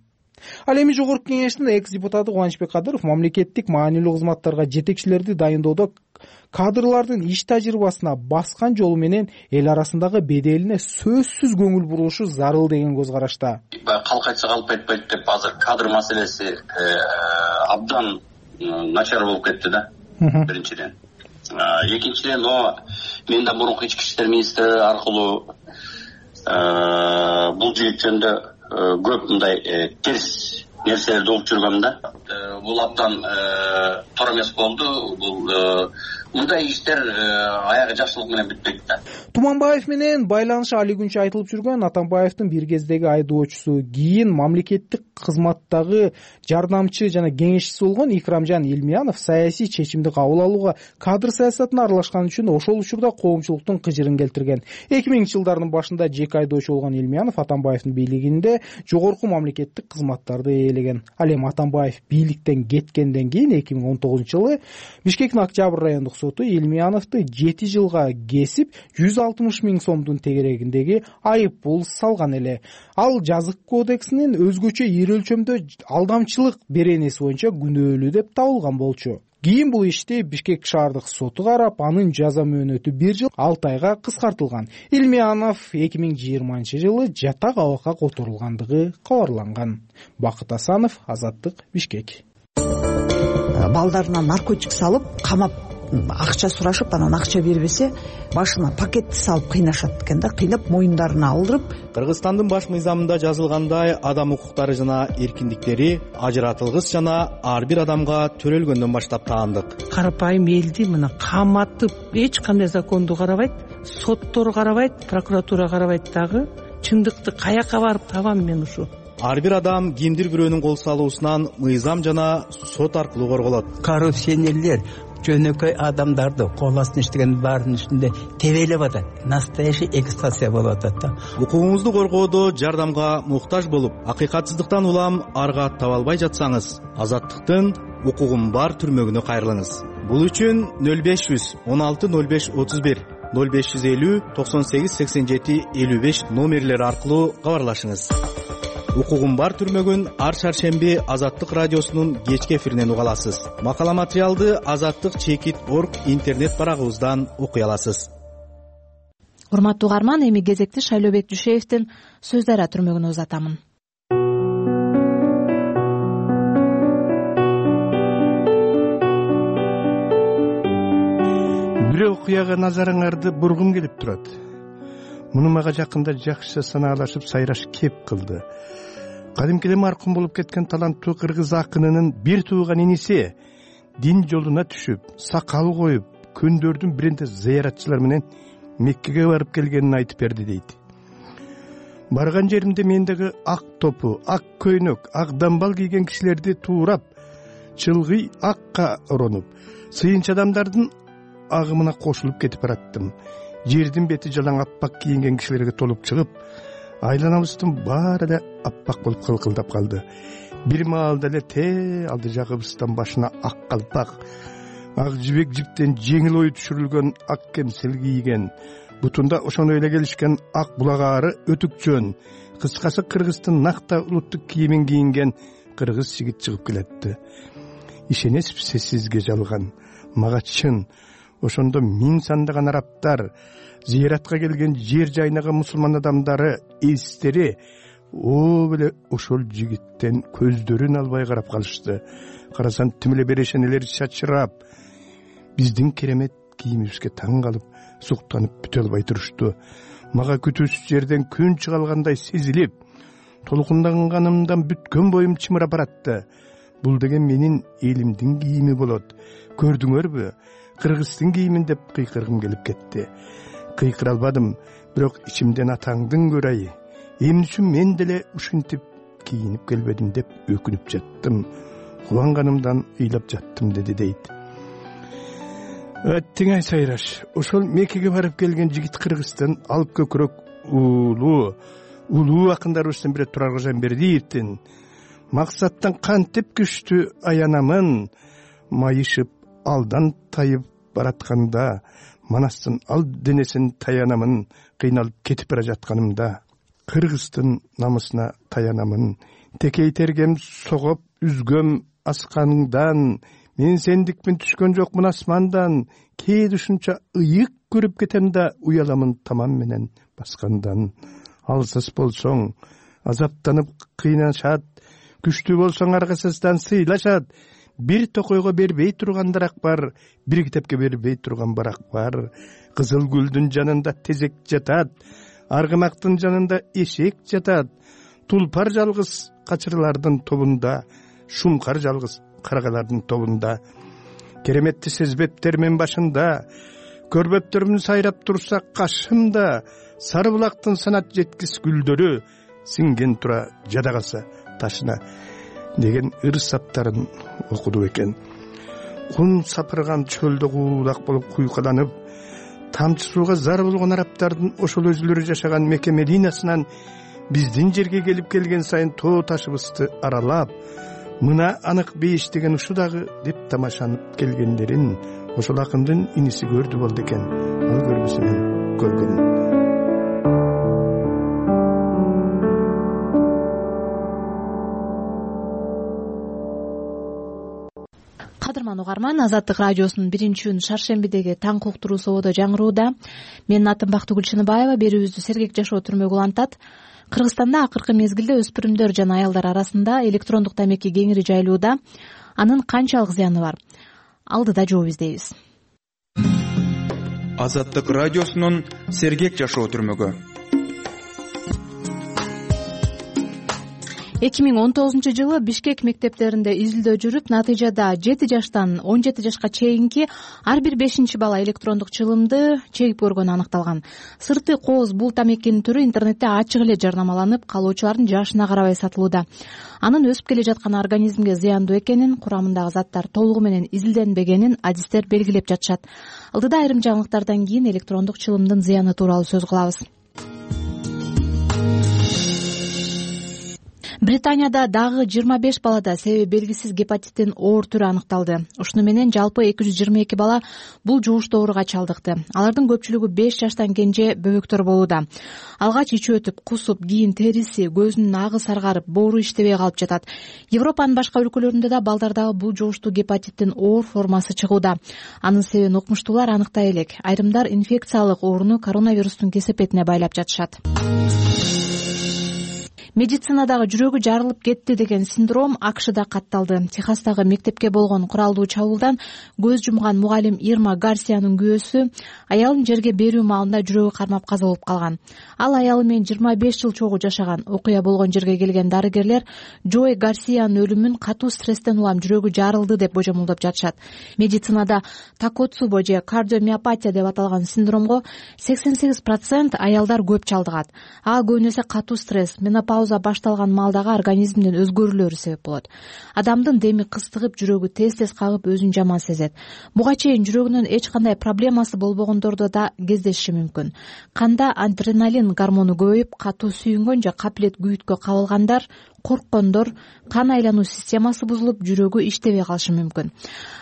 Ал эми Жогорку Кеңештин экс-депутаты Кубанычбек Кадыров мамлекеттик маанилүү кызматтарга жетекчилерди дайындоодо кадрлардын иш тажрыйбасына баскан жолу менен эл арасындагы беделине сөзсүз көңүл бурулушу зарыл деген көз карашта. Калк айтса калп айтпайт деп азыр кадр маселеси абдан начар болуп кетти да. Биринчиден. Экинчиден, мен да мурунку ички иштер министри аркылуу бул жигит жөнүндө көп мындай терс нерселерди угуп жүргөм да. Бул абдан туура эмес болду. Бул мындай иштер аягы жакшылык менен бүтпөйт да. Туманбаев менен байланышы али күнчө айтылып жүргөн Атамбаевдин бир кездеги айдоочусу, кийин мамлекеттик кызматтагы жардамчы жана кеңешчиси болгон Икрамжан Илмиянов саясий чечимди кабыл алууга кадр саясатына аралашкан үчүн ошол учурда коомчулуктун кыжырын келтирген. 2000-жылдардын башында жеке айдоочу болгон Илмиянов Атамбаевдин бийлигинде жогорку мамлекеттик кызматтарды ээлеген. Ал эми Атамбаев бийликтен кеткенден кийин 2019-жылы Бишкектин Октябрь райондук соту Илмияновду 7 жылга кесип 160 миң сомдун тегерегиндеги айып пул салган эле. Ал жазык кодексинин өзгөчө ири өлчөмдө алдамчылык беренеси боюнча күнөөлүү деп табылган болчу. Кийин бул ишти Бишкек шаардык соту карап, анын жаза мөөнөтү 1 жыл 6 айга кыскартылган. Илмиянов 2020-жылы жатак абакка которулгандыгы кабарланган. Бакыт Асанов, Азаттык, Бишкек. Балдарына наркотик салып, камап акча сурашып, анан акча бербесе, башына пакетти салып кыйнашат экен да, кыйнап моюндарына алдырып. Кыргызстандын баш мыйзамында жазылгандай, адам укуктары жана эркиндиктери ажыратылгыс жана ар бир адамга төрөлгөндөн баштап таандык. Карапайым элди мына каматып, эч кандай законду карабайт, соттор карабайт, прокуратура карабайт дагы. Чындыкты каяка барып табам мен ушу? Ар бир адам кимдир бирөөнүн кол салуусунан мыйзам жана сот аркылуу корголот. Коррупционерлер жөнөкөй адамдарды кол астына иштеген баардын үстүндө тебелеп атат. Настоящий эксплуатация болуп атат да. Укугуңузду коргоодо жардамга муктаж болуп, акыйкатсыздыктан улам арга таба албай жатсаңыз, Азаттыктын укугум бар түрмөгүнө кайрылыңыз. Бул үчүн 0500 16 05 31 0550 98 87 55 номерлери аркылуу кабарлашыңыз. Укугум бар түрмөгүн ар шаршемби Азаттык радиосунун кечки эфиринен уга аласыз. Макала материалды azattik.org интернет барагыбыздан окуй аласыз. Урматтуу угарман, эми кезекти Шайлообек Жушеевдин Сөз Дарыя түрмөгүнө узатамын. Бир окуяга назарыңарды бургум келип турат. Муну мага жакында жакшы санаалашып сайраш кеп кылды. Кадимкиде маркум болуп кеткен таланттуу кыргыз акынынын бир тууган иниси дин жолуна түшүп, сакал коюп, күндөрдүн биринде зыяратчылар менен Меккеге барып келгенин айтып берди дейт. Барган жеримде мендеги ак топу, ак көйнөк, ак дамбал кийген кишилерди туурап, чылгый акка оронуп, сыйынчы адамдардын агымына кошулуп кетип бараттым. Жердин бети жалаң аппак кийинген кишилерге толуп чыгып, айланабыздын баары эле аппак болуп кылкылдап калды. Бир маалда эле те алды жагыбыздан башына ак калпак, ак жибек жиптен жеңил ою түшүрүлгөн ак кемсел кийген, бутунда ошону эле келишкен ак булагаары өтүкчөн, кыскасы кыргыздын накта улуттук кийимин кийинген кыргыз жигит чыгып келетти. Ишенесизби сизге жалган, мага чын. Ошондо миң сандаган арабтар, зыяратка келген жер жайнаган мусулман адамдары, элстери эле ошол жигиттен көздөрүн албай карап калышты. Карасаң тим эле берешенелер чачырап, биздин керемет кийимибизге таң калып, суктанып бүтө албай турушту. Мага күтүүсүз жерден күн чыга алгандай сезилип, толкунданганымдан бүткөн боюм чымырап баратты. Бул деген менин элимдин кийими болот. Көрдүңөрбү? Кыргыздын кийимин деп кыйкыргым келип кетти. Кыйкыра албадым, бирок ичимден атаңдын көрайы. Эмне үчүн мен деле ушинтип кийинип келбедим деп өкүнүп жаттым. Кубанганымдан ыйлап жаттым деди дейт. Теңай сайраш, ошол Меккеге барып келген жигит Кыргыздын алып көкүрөк улуу акындарыбыздын бири Турар Кожомбердиевдин максаттан кантип күчтүү аянамын, майышып алдан тайып баратканда, манастын ал денесин таянамын, кыйналып кетип бара жатканымда. Кыргыздын намысына таянамын, текейтергем согоп үзгөм асканыңдан, мен сендикпин түшкөн жокмун асмандан, кээде ушунча ыйык көрүп кетем да, уяламын тамам менен баскандан. Алсыз болсоң азаптанып кыйнашат, күчтүү болсоң аргасыздан сыйлашат. Бир токойго бербей тургандаrak бар, бир китепке бербей турган барак бар. Кызыл гүлдүн жанында тезек жатат, аргымактын жанында эшек жатат. Тулпар жалгыз качырлардын тобунда, шумкар жалгыз каргалардын тобунда. Кереметти сезбептермин башында, көрбөптөрүм сайрап турса кашымда. Сары булактын санат жеткис гүлдөрү, сиңген тура жада калса ташына деген ыр саптарын окуду экен. Кун сапырган чөлдө куулак болуп куйкаланып, тамчы сууга зар болгон арабтардын ошол өзүлөрү жашаган Мекке Мединасынан биздин жерге келген сайын тоо ташыбызды аралап, мына анык бейиш деген ушу дагы деп тамашанып келгендерин ошол акындын иниси көрдү болду экен. Ал көрбөсүнөн көргөн. Кадырман угарман, Азаттык радиосунун 1-күн шаршембидеги таң уктуруу сободо жаңырууда. Менин атым Бактыгүл Чыныбаева. Берүүбүздү Сергек жашоо түрмөгү улантат. Кыргызстанда акыркы мезгилде өспүрүмдөр жана аялдар арасында электрондук тамеки кеңири жайылууда. Анын канчалык зыяны бар? Алдыда жооп издейбиз. Азаттык радиосунун Сергек жашоо түрмөгү. 2019-жылы Бишкек мектептеринде изилдөө жүрүп, натыйжада 7 жаштан 17 жашка чейинки ар бир 5 бала электрондук чылымды чегип көргөнү аныкталган. Сырты кооз бул тамекинин түрү интернетте ачык эле жарнамаланып, калоочулардын жашына карабай сатылууда. Анын өсүп келе жаткан организмге зыяндуу экенин, курамындагы заттар толугу менен изилденбегенин адистер белгилеп жатышат. Алдыда айрым жаңылыктардан кийин электрондук чылымдын зыяны тууралуу сөз кылабыз. Британияда дагы 25 балада себеби белгисиз гепатиттин оор түрү аныкталды. Ушуну менен жалпы 222 бала бул жугуштуу ооруга чалдыкты. Алардын көпчүлүгү 5 жаштан кенже бөбөктөр болууда. Алгач ичи өтүп, кусуп, кийин териси, көзүнүн агы саргарып, боору иштебей калып жатат. Европанын башка өлкөлөрүндө да балдардагы бул жугуштуу гепатиттин оор формасы чыгууда. Анын себебин укмуштуулар аныктай элек. Айрымдар инфекциялык ооруну коронавирустун кесепетине байлап жатышат. Медицинадагы жүрөгү жарылып кетти деген синдром АКШда катталды. Техастагы мектепке болгон куралдуу чабуулдан көз жумган мугалим Ирма Гарсиянын күйөөсү аялын жерге берүү маалында жүрөгү кармап каза болуп калган. Ал аялы менен 25 жыл чогуу жашаган. Окуя болгон жерге келген дарыгерлер Джой Гарсиянын өлүмүн катуу стресстен улам жүрөгү жарылды деп божомолдоп жатышат. Медицинада такоцубо же кардиомиопатия деп аталган синдромго 88% аялдар көп чалдыгат. Ага көбүнесе катуу стресс, менопауза башталган маалдагы организмдин өзгөрүүлөрү себеп болот. Адамдын деми кыстыгып, жүрөгү тез-тез кагып, өзүн жаман сезет. Буга чейин жүрөгүнүн эч кандай проблемасы болбогондордо да кездешиши мүмкүн. Канда адреналин гормону көбөйүп, катуу сүйүнгөн же капилет күйүткө кабылгандар, корккондор, кан айлануу системасы бузулуп, жүрөгү иштебей калышы мүмкүн.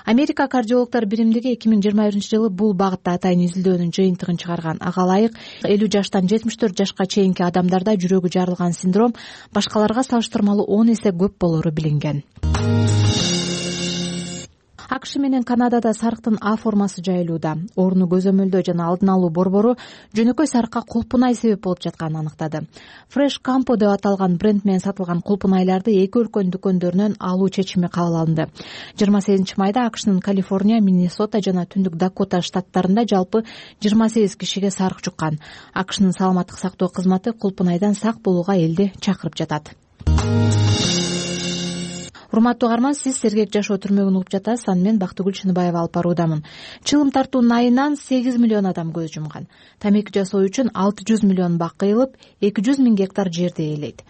Америка кардиологдор биримдиги 2021-жылы бул багытта атайын изилдөөнүн жыйынтыгын чыгарган. Ага ылайык 50 жаштан 74 жашка чейинки адамдарда жүрөгү жарылган синдром башкаларга салыштырмалуу 10 эсе көп болору билинген. АКШ менен Канадада сарыктын А формасы жайылууда. Ооруну көзөмөлдөө жана алдын алуу борбору жөнөкөй сарыкка кулпунай себеп болуп жатканын аныктады. Fresh Campo деп аталган бренд менен сатылган кулпунайларды эки өлкөнүн дүкөндөрүнөн алуу чечими кабыл алынды. 28 майда АКШнын Калифорния, Миннесота жана Түндүк Дакота штаттарында жалпы 28 кишиге сарык жуккан. АКШнын саламаттык сактоо кызматы кулпунайдан сак болууга элди чакырып жатат. Урматтуу угарман, сиз Сергек жашоо түрмөгүн угуп жатасыз. Аны мен Бактыгүл Чыныбаева алып баруудамын. Чылым тартуунун айынан 8 миллион адам көз жумган. Тамеки жасоо үчүн 600 миллион бак кыйылып, 200 миң гектар жерди ээлейт.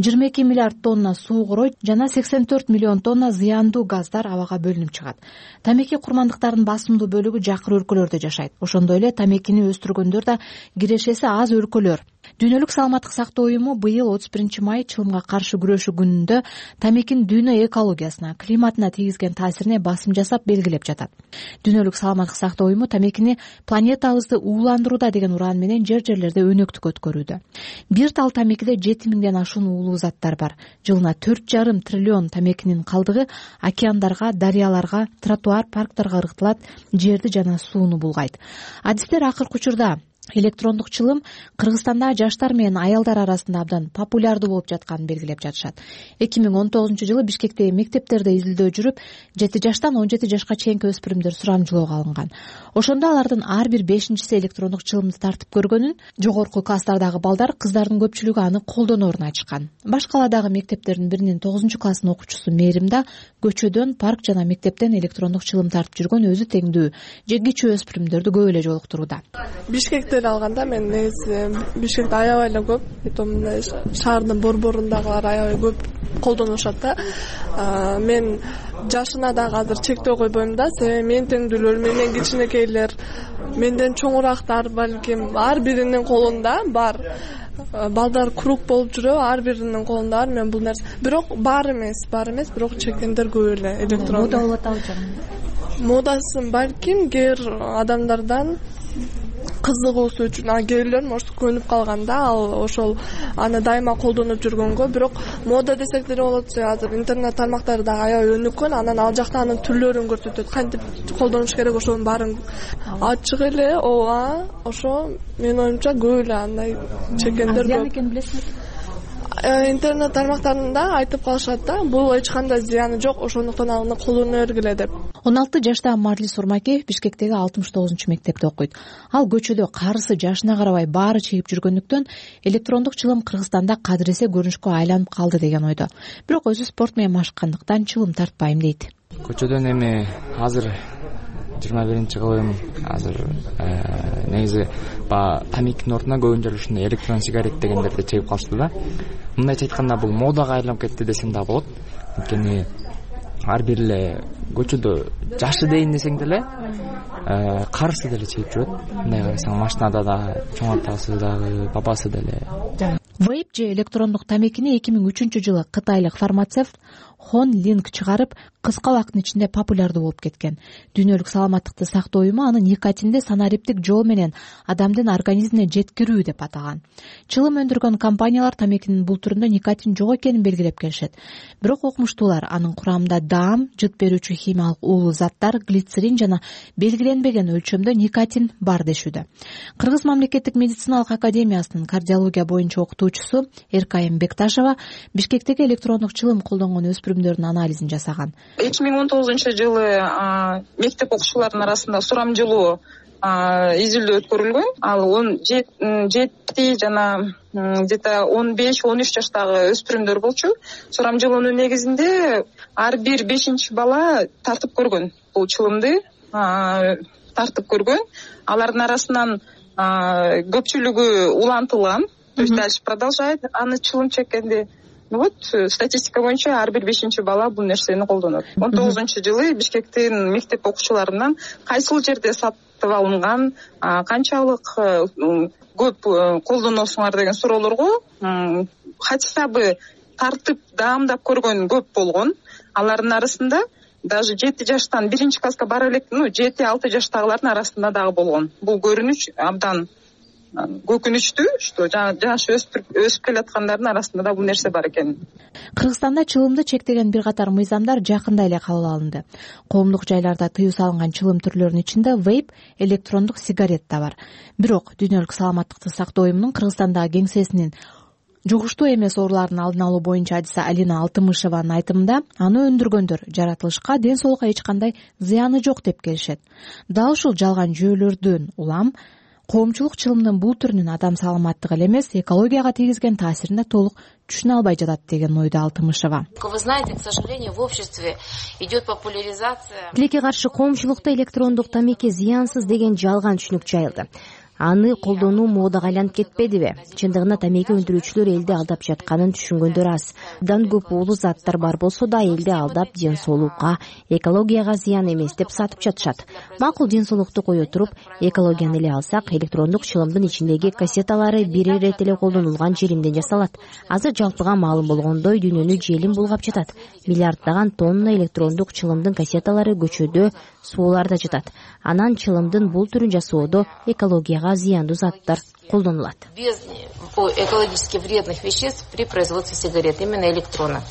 22 миллиард тонна суу коройт жана 84 миллион тонна зыяндуу газдар абага бөлүнүп чыгат. Тамеки курмандыктарынын басымдуу бөлүгү жакыр өлкөлөрдө жашайт. Ошондой эле тамекини өстүргөндөр да кирешеси аз өлкөлөр. Дүйнөлүк саламаттык сактоо уюму быйыл 31 май чылымга каршы күрөшүү күнүндө тамекинин дүйнө экологиясына, климатына тийгизген таасирине басым жасап белгилеп жатат. Дүйнөлүк саламаттык сактоо уюму тамекини планетабызды ууландырууда деген ураан менен жерлерде өнөктүк өткөрүүдө. Бир тал тамекиде 7000ден ашуун уулуу заттар бар. Жылына 4,5 триллион тамекинин калдыгы океандарга, дарыяларга, тротуар, парктарга ыргытылат, жерди жана сууну булгайт. Адистер акыркы учурда электрондук чылым Кыргызстанда жаштар менен аялдар арасында абдан популярдуу болуп жатканын белгилеп жатышат. 2019-жылы Бишкектеги мектептерде изилдөө жүрүп, 7 жаштан 17 жашка чейинки өспүрүмдөр сурамжылоого алынган. Ошондо алардын ар бир 5-си электрондук чылымды тартып көргөнүн, жогорку класстардагы балдар, кыздардын көпчүлүгү аны колдоноорун айтышкан. Баш каладагы мектептердин биринин 9-класстын окуучусу Мээримда көчөдөн, парк жана мектептен электрондук чылым тартып жүргөн өзү теңдүү жегичүү өспүрүмдөрдү көп эле жолуктурууда. Бишкекте алганда мен негизи Бишкекте аябай эле көп, мындай шаардын борборундагылар аябай көп колдонушат да. Мен жашына дагы азыр чектөө койбойм да, себеби менин теңдүүлөр, менден кичинекейлер, менден чоңурактар балким ар биринин колунда бар. Балдар круг болуп жүрөбү, ар биринин колунда бар. Мен бул нерсе, бирок бар эмес, бирок чеккендер көп эле электрондук. Мода болуп атабы? Модасын балким кээ бир адамдардан кызыгуусу үчүн, кээ бирлер может көнүп калганда ал ошол аны дайыма колдонуп жүргөнгө, бирок мода десек деле болот. Азыр интернет тармактары дагы аябай өнүккөн, анан ал жакта анын түрлөрүн көрсөтөт, кантип колдонуш керек, ошонун баарын ачык эле. Ооба, ошо менин оюмча көп эле андай чеккендер көп. Зыян экенин билесиңби? Интернет тармактарында айтып калышат да, бул эч кандай зыяны жок, ошондуктан аны колдоно бергиле деп. 16 жаштагы Марлис Урмакеев Бишкектеги 69-мектепте окуйт. Ал көчөдө карысы жашына карабай баары чегип жүргөндүктөн электрондук чылым Кыргызстанда кадыресе көрүнүшкө айланып калды деген ойдо. Бирок өзү спорт менен машыккандыктан чылым тартпайм дейт. Көчөдөн эми азыр 21-кылым азыр негизи тамекинин ордуна көбүнчө ушундай электрон сигарет дегендерди чегип калышты да. Мындайча айтканда бул модага айланып кетти десем да болот. Анткени ар бир эле көчөдө жашы дейин десең деле карысы деле чегип жүрөт. Мындай карасаң машинада да чоң атасы дагы, бабасы деле. Вейп же электрондук тамекини 2003-жылы кытайлык фармацевт Хон Линк чыгарып, кыска убакыттын ичинде популярдуу болуп кеткен. Дүйнөлүк саламаттыкты сактоо уюму аны никотинди санариптик жол менен адамдын организмине жеткирүү деп атаган. Чылым өндүргөн компаниялар тамекинин бул түрүндө никотин жок экенин белгилеп келишет. Бирок окумуштуулар анын курамында даам, жыт берүүчү химиялык уулуу заттар, глицерин жана белгиленбеген өлчөмдө никотин бар дешүүдө. Кыргыз мамлекеттик медициналык академиясынын кардиология боюнча окутуучусу Эркайым Бекташева Бишкектеги электрондук чылым колдонгон өспүрүмдөрдүн анализин жасаган. 2019-жылы мектеп окуучуларынын арасында сурамжылоо изилдөө өткөрүлгөн. Ал 17 жана где-то 15-13 жаштагы өспүрүмдөр болчу. Сурамжылоонун негизинде ар бир 5-чи бала тартып көргөн. Бул чылымды тартып көргөн. Алардын арасынан көпчүлүгү улантылган. То есть дальше продолжает аны чылым чеккенди. Вот статистика боюнча ар бир 5-чи бала бул нерсени колдонот. 19-жылы Бишкектин мектеп окуучуларынан кайсыл жерде сатып алынган, канчалык көп колдоносуңар деген суроолорго хатсабы тартып даамдап көргөн көп болгон. Алардын арасында даже 7 жаштан 1-класска бара элек, 7-6 жаштагылардын арасында дагы болгон. Бул көрүнүш абдан көкүнүчтүү, что жаш өсүп келаткандардын арасында да бул нерсе бар экен. Кыргызстанда чылымды чектеген бир катар мыйзамдар жакында эле кабыл алынды. Коомдук жайларда тыюу салынган чылым түрлөрүнүн ичинде вейп, электрондук сигарет да бар. Бирок Дүйнөлүк саламаттыкты сактоо уюмунун Кыргызстандагы кеңсесинин жугуштуу эмес оорулардын алдын алуу боюнча адиси Алина Алтымышеванын айтымында, аны өндүргөндөр жаратылышка, ден соолукка эч кандай зыяны жок деп келишет. Дал ушул жалган жүйөлөрдөн улам коомчулук чылымдын бул түрүнүн адам саламаттыгы эле эмес, экологияга тийгизген таасирин толук түшүнө албай жатат деген ойдо Алтымышева. Вы знаете, к сожалению, в обществе идет популяризация. Тилекке каршы коомчулукта электрондук тамеки зыянсыз деген жалган түшүнүк жайылды. аны колдонуу модага айланып кетпедиби? Чындыгында тамеки өндүрүүчүлөр элди алдап жатканын түшүнгөндөр аз. Абдан көп уулуу заттар бар болсо да элди алдап ден соолукка, экологияга зыян эмес деп сатып жатышат. Макул ден соолукту кое туруп, экологияны эле алсак, электрондук чылымдын ичиндеги кассеталары бир ирет эле колдонулган желимден жасалат. Азыр жалпыга маалым болгондой дүйнөнү желим булгап жатат. Миллиарддаган тонна электрондук чылымдын кассеталары көчөдө, сууларда жатат. Анан чылымдын бул түрүн жасоодо экологияга зыяндуу заттар колдонулат. Без экологически вредных веществ при производстве сигарет, именно электронных.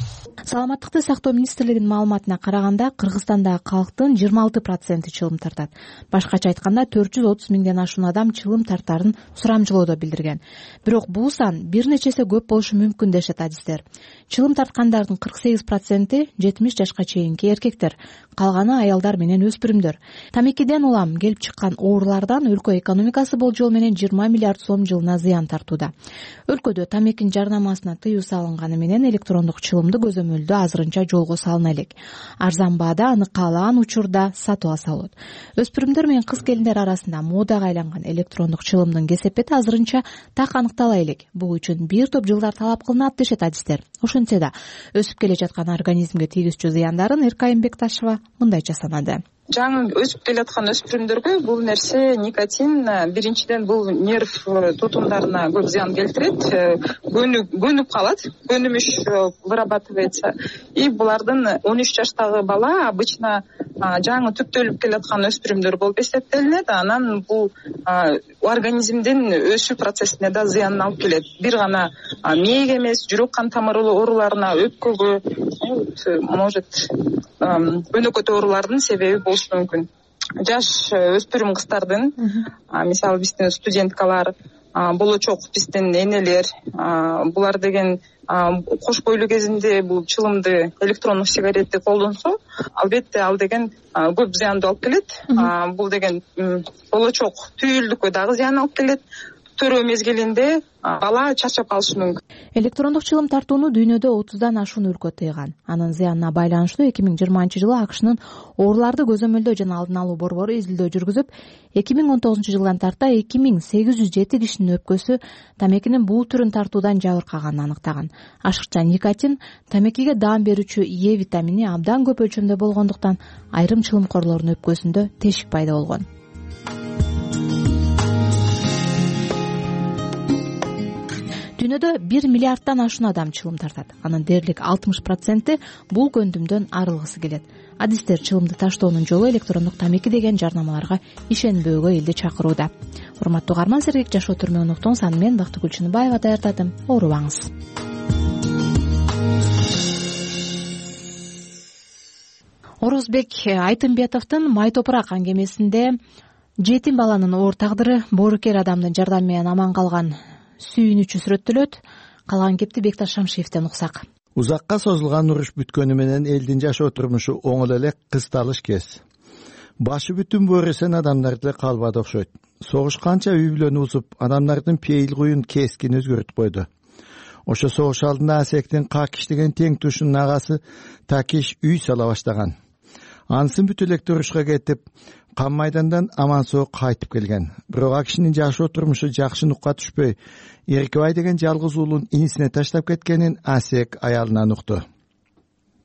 Саламаттыкты сактоо министрлигинин маалыматына караганда, Кыргызстандагы калктын 26% чылым тартат. Башкача айтканда 430 миңден ашуун адам чылым тартарын сурамжылоодо билдирген. Бирок бул сан бир нечесе көп болушу мүмкүн дешет адистер. Чылым тарткандардын 48% 70 жашка чейинки эркектер, калганы аялдар менен өспүрүмдөр. Тамекиден улам келип чыккан оорулардан өлкө экономикасы болжол менен 20 миллиард сом жылына зыян тартууда. Өлкөдө тамекинин жарнамасына тыюу салынганы менен электрондук чылымды көзөмөлдөө азырынча жолго салына элек. Арзан баада аны каалаган учурда сатып алса болот. Өспүрүмдөр менен кыз келиндер арасында модага айланган электрондук чылымдын кесепети азырынча так аныктала элек. Бул үчүн бир топ жылдар талап кылынат дешет адистер. Ошентсе да өсүп келе жаткан организмге тийгизчү зыяндарын Эркайым Бекташева мындайча санады. Жаңы өсүп келаткан өспүрүмдөргө бул нерсе никотин биринчиден бул нерв тутумдарына көп зыян келтирет, көнүп калат, көнүмүш вырабатывается. И булардын 13 жаштагы бала обычно жаңы түптөлүп келаткан өспүрүмдөр болуп эсептелинет. Анан бул организмдин өсүү процессине да зыянын алып келет. Бир гана мээге эмес, жүрөк кан тамыр ооруларына, өпкөгө, может өнөкөт оорулардын себеби болушу мүмкүн. Жаш өспүрүм кыздардын, мисалы биздин студенткалар, болочок биздин энелер, булар деген кош бойлуу кезинде бул чылымды, электрондук сигаретти колдонсо, албетте ал деген көп зыяндуу алып келет. Бул деген болочок түйүлдүккө дагы зыян алып келет. Төрөө мезгилинде бала чарчап калышы мүмкүн. Электрондук чылым тартууну дүйнөдө 30дан ашуун өлкө тыйган. Анын зыянына байланыштуу 2020-жылы АКШнын ооруларды көзөмөлдөө жана алдын алуу борбору изилдөө жүргүзүп, 2019-жылдан тарта 2807 кишинин өпкөсү тамекинин бул түрүн тартуудан жабыркаганын аныктаган. Ашыкча никотин тамекиге даам берүүчү Е витамини абдан көп өлчөмдө болгондуктан айрым чылымкорлордун өпкөсүндө тешик пайда болгон. Дүйнөдө 1 миллиарддан ашуун адам чылым тартат. Анын дээрлик 60% бул көндүмдөн арылгысы келет. Адистер чылымды таштоонун жолу электрондук тамеки деген жарнамаларга ишенбөөгө элди чакырууда. Урматтуу угарман, Сергек жашоо түрмөгүн уктуңуз. Аны мен Бактыгүл Чыныбаева даярдадым. Оорубаңыз. Орозбек Айтымбетовдун Май топурак аңгемесинде жетим баланын оор тагдыры, боорукер адамдын жардамы менен аман калган сүйүнүчү сүрөттөлөт. Калган кепти Бекташ Шамшиевден уксак. Узакка созулган уруш бүткөнү менен элдин жашоо турмушу оңол эле кысталыш кез. Башы бүтүн бөөрөсөн адамдарды калбады окшойт. Согуш канча үй бүлөнү бузуп, адамдардын пейил куюн кескин өзгөртүп койду. Ошо согуш алдында Асектин Какиш деген тең тушунун агасы Такиш үй сала баштаган. Ансын бүт элек урушка кетип, Кан майдандан аман соо кайтып келген. Бирок Акишнин жашоо турмушу жакшы нукка түшпөй, Эркебай деген жалгыз уулун инисине таштап кеткенин Асек аялынан укту.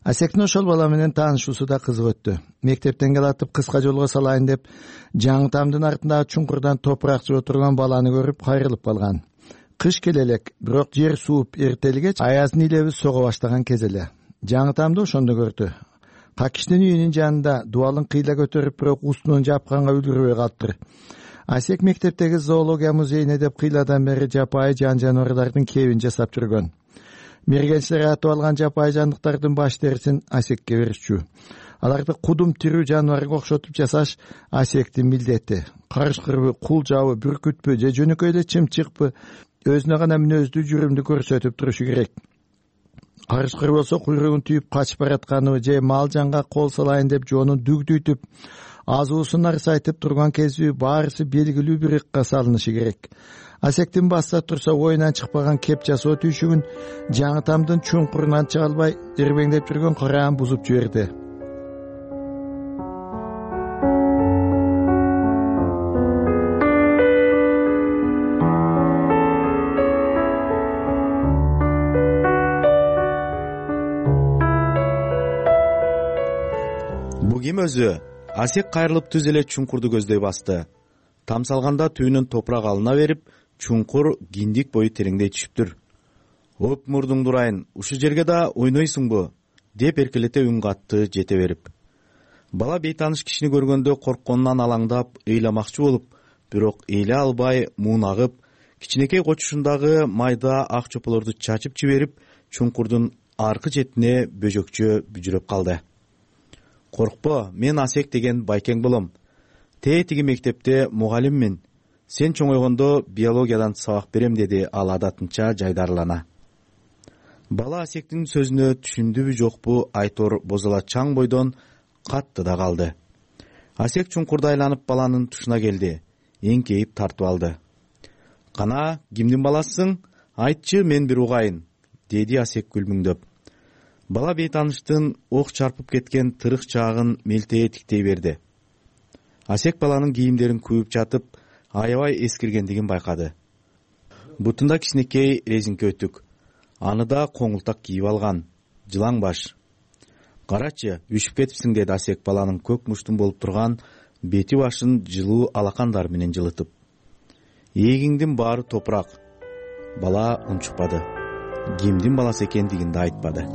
Асектин ошол бала менен таанышуусу да кызык өттү. Мектептен келатып кыска жолго салайын деп, жаңы тамдын артындагы чуңкурдан топурак жоо турган баланы көрүп кайрылып калган. Кыш келе элек, бирок жер сууп эртелгеч аяздын илеби сого баштаган кез эле. Жаңы тамды ошондо көрдү. Какиштин үйүнүн жанында дубалын кыйла көтөрүп, бирок устунун жапканга үлгүрбөй калыптыр. Асек мектептеги зоология музейине деп кыйладан бери жапайы жан жаныбарлардын кебин жасап жүргөн. Мергенчилер атып алган жапайы жандыктардын баш терисин Асекке беришчү. Аларды кудум тирүү жаныбарга окшотуп жасаш Асектин милдети. Карышкырбы, кул жабы, бүркүтпү же жөнөкөй эле чымчыкпы өзүнө гана мүнөздүү жүрүмдү көрсөтүп турушу керек. Карышкыр болсо куйругун түйүп качып баратканы же мал жанга кол салайын деп жоонун дүгдүйтүп, азуусун арсайтып турган кезби баарысы белгилүү бир ыкка салынышы керек. Асектин басса турса оюнан чыкпаган кеп жасоо түйшүгүн жаңы тамдын чуңкурунан чыга албай ирбеңдеп жүргөн караан бузуп жиберди. ким өзү? Асек кайрылып түз эле чуңкурду көздөй басты. Там салганда түбүнөн топурак алына берип, чуңкур киндик бою тереңдей түшүптүр. Оп мурдуңду урайын, ушул жерге да ойнойсуңбу? Деп эркелете үн катты жете берип. Бала бейтаныш кишини көргөндө коркконунан алаңдап, ыйламакчы болуп, бирок эйле албай муунагып, кичинекей кочушундагы майда ак чополорду чачып жиберип, чуңкурдун аркы четине бөжөкчө бүжүрөп калды. Коркпо, мен Асек деген байкең болом. Тетиги мектепте мугалиммин. Сен чоңойгондо биологиядан сабак берем, деди ал адатынча жайдарлана. Бала Асектин сөзүнө түшүндүбү жокпу айтор бозола чаң бойдон катты да калды. Асек чуңкурду айланып баланын тушуна келди. Эңкейип тартып алды. Кана, кимдин баласысың? Айтчы, мен бир угайын, деди Асек күлмүңдөп. Бала бейтаныштын ок чарпып кеткен тырык чаагын мелтее тиктей берди. Асек баланын кийимдерин күйүп жатып, аябай эскиргендигин байкады. Бутунда кичинекей резинке өтүк. Аны да коңултак кийип алган. Жылаң баш. Карачы, үшүп кетипсиң, деди Асек баланын көк муштун болуп турган бети башын жылуу алакандар менен жылытып. Эгиңдин баары топурак. Бала унчукпады. Кимдин баласы экендигин да айтпады.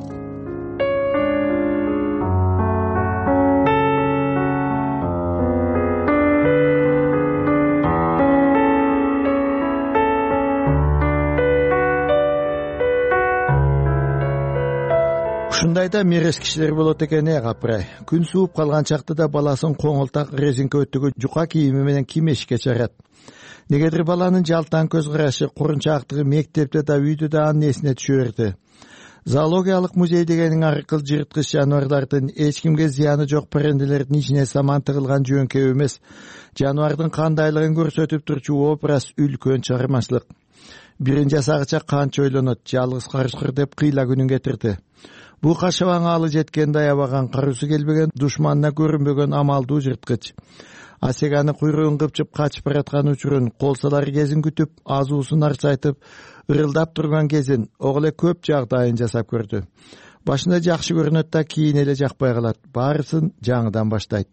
Ушундайда мерез кишилер болот экен, капырай. Күн сууп калган чакта да баласын коңултак резинке өтүгү жука кийими менен ким эшикке чыгарат. Негедир баланын жалтаң көз карашы, курунчаактыгы мектепте да үйдө да анын эсине түшө берди. Зоологиялык музей дегениң аркыл жырткыч жаныбарлардын эч кимге зыяны жок перенделердин ичине саман тыгылган жөңкөй эмес, жаныбардын кандайлыгын көрсөтүп турчу образ үлкөн чыгармачылык. Бирин жасагыча канча ойлонот, жалгыз карышкыр деп кыйла күнүн кетирди. Бу кашабаң алы жеткенде аябаган, карысы келбеген, душманына көрүнбөгөн амалдуу жырткыч. Асек аны куйругун кыпчып качып бараткан учурун, колсалар кезин күтүп, азуусун арчайтып, ырылдап турган кезин, ого эле көп жагдайын жасап көрдү. Башында жакшы көрүнөт да кийин эле жакпай калат. Баарысын жаңыдан баштайт.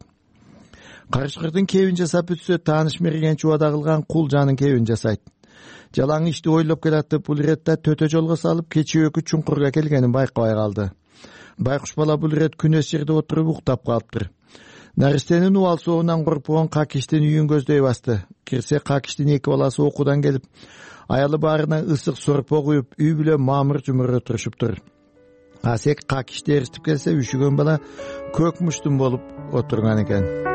Карышкырдын кебин жасап бүтсө, тааныш мерген чубада кылган кул жанын кебин жасайт. Жалаң ишти ойлоп келатып, бул иретте төтө жолго салып, кечүүкү чуңкурга келгенин байкабай калды. Байкуш бала бул ирет күнөс жерде отуруп уктап калыптыр. Наристенин убал соогунан коркпогон Какиштин үйүн көздөй басты. Кирсе, Какиштин эки баласы окуудан келип, аялы баарына ысык сорпо куюп, үй бүлө мамыр жумур отурушуптур. Асек Какишти эритип келсе, үшүгөн бала көк муштун болуп отурган экен.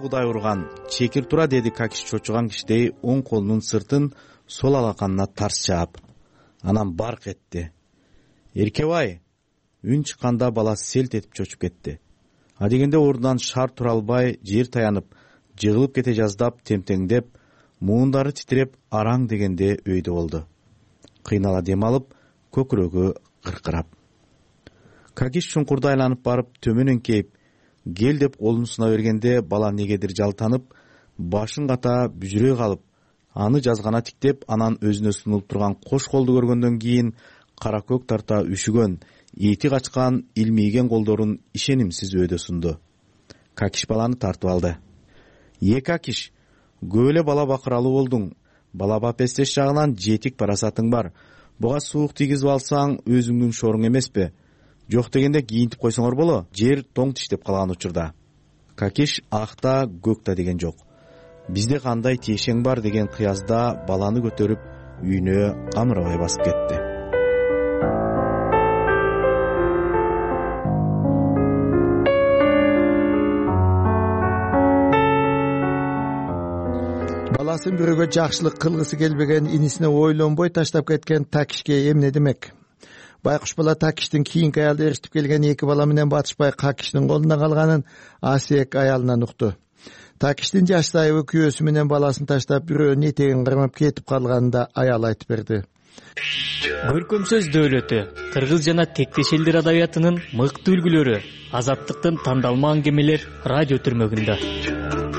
Кудай урган, чекир тура, деди Какиш чочуган кишидей оң колунун сыртын сол алаканына тарс чаап. Анан барк этти. Эркебай! Үн чыкканда баласы селт этип чочуп кетти. Адегенде ордунан шаар тура албай, жер таянып, жыгылып кете жаздап, темтеңдеп, муундары титиреп, араң дегенде өйдө болду. Кыйнала дем алып, көкүрөгү кыркырап. Какиш чуңкурду айланып барып, төмөн эңкейип, гел деп колун суна бергенде, бала негедир жалтанып, башын ката бүжүрөй калып, аны жазгана тиктеп, анан өзүнө сунулуп турган кош колду көргөндөн кийин кара көк тарта үшүгөн, эти качкан, илмийген колдорун ишенимсиз өйдө сунду. Какиш баланы тартып алды. Какиш, көп эле бала бакыралуу болдуң. Бала бапестеш жагынан жетик парасатың бар. Буга суук тийгизип алсаң, өзүңдүн шоруң эмеспи? Жок дегенде кийинтип койсоңор боло, жер тоң тиштеп калган учурда. Какиш акта көкта деген жок. Бизде кандай тиешең бар деген кыязда баланы көтөрүп үйүнө камырабай басып кетти. Баласын бирөөгө жакшылык кылгысы келбеген инисине ойлонбой таштап кеткен Такишке эмне демек? Байкуш бала Такиштин кийинки аялды ээрчитип келген эки бала менен батышпай Какиштин колунда калганын Асек аялынан укту. Такиштин жаш сайыбы күйөөсү менен баласын таштап бирөөнүн этегин кармап кетип калганын да аял айтып берди. Көркөм сөз дөөлөтү, кыргыз жана тектеш элдер адабиятынын мыкты үлгүлөрү, азаттыктын тандалма аңгемелер радио түрмөгүндө.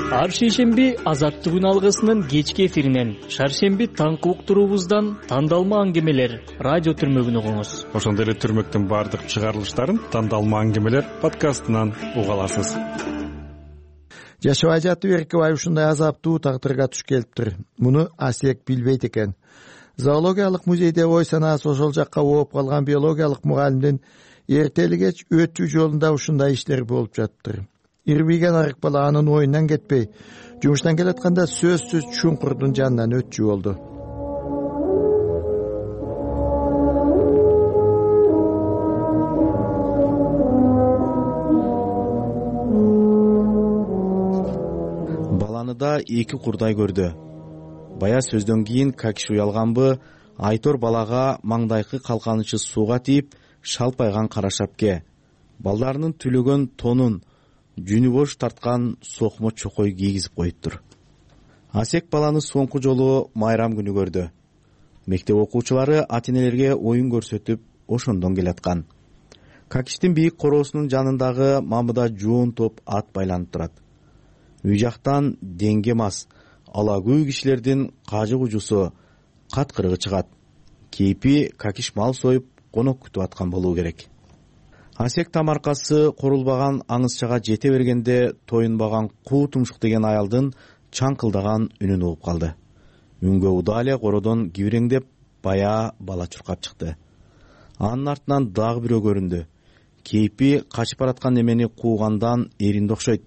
Ар шейшемби Азаттык үн алгысынын кечки эфиринен, шаршемби таңкы уктуруубуздан тандалма аңгемелер радио түрмөгүн угуңуз. Ошондой эле түрмөктүн баардык чыгарылыштарын тандалма аңгемелер подкастынан уга аласыз. Жашабай жатып Эркебай ушундай азаптуу тагдырга туш келиптир. Муну Асек билбейт экен. Зоологиялык музейде ой санаасы ошол жакка ооп калган биологиялык мугалимдин эртели кеч өтүү жолунда ушундай иштер болуп жатыптыр. Ирбийген арык бала анын оюнан кетпей, жумуштан келатканда сөзсүз чуңкурдун жанынан өтчү болду. Баланы да эки курдай көрдү. Бая сөздөн кийин Какиш уялганбы, Айтор балага маңдайкы калканычы сууга тийип, шалпайган кара шапке, балдарынын түлөгөн тонун, жүнү бош тарткан сокмо чокой кийгизип коюптур. Асек баланы соңку жолу майрам күнү көрдү. Мектеп окуучулары ата-энелерге оюн көрсөтүп, ошондон келаткан. Какиштин бийик короосунун жанындагы мамыда жоон топ ат байланып турат. Үй жактан деңге мас, алагүй кишилердин кажы кужусу, каткырыгы чыгат. Кейпи Какиш мал союп, конок күтүп аткан болуу керек. Асек тамаркасы корулбаган аңызчага жете бергенде тоюнбаган куу тумшук деген аялдын чаңкылдаган үнүн угуп калды. Үнгө удаа эле кородон кибиреңдеп бая бала чуркап чыкты. Анын артынан дагы бирөө көрүндү. Кейпи качып бараткан немени куугандан эринди окшойт.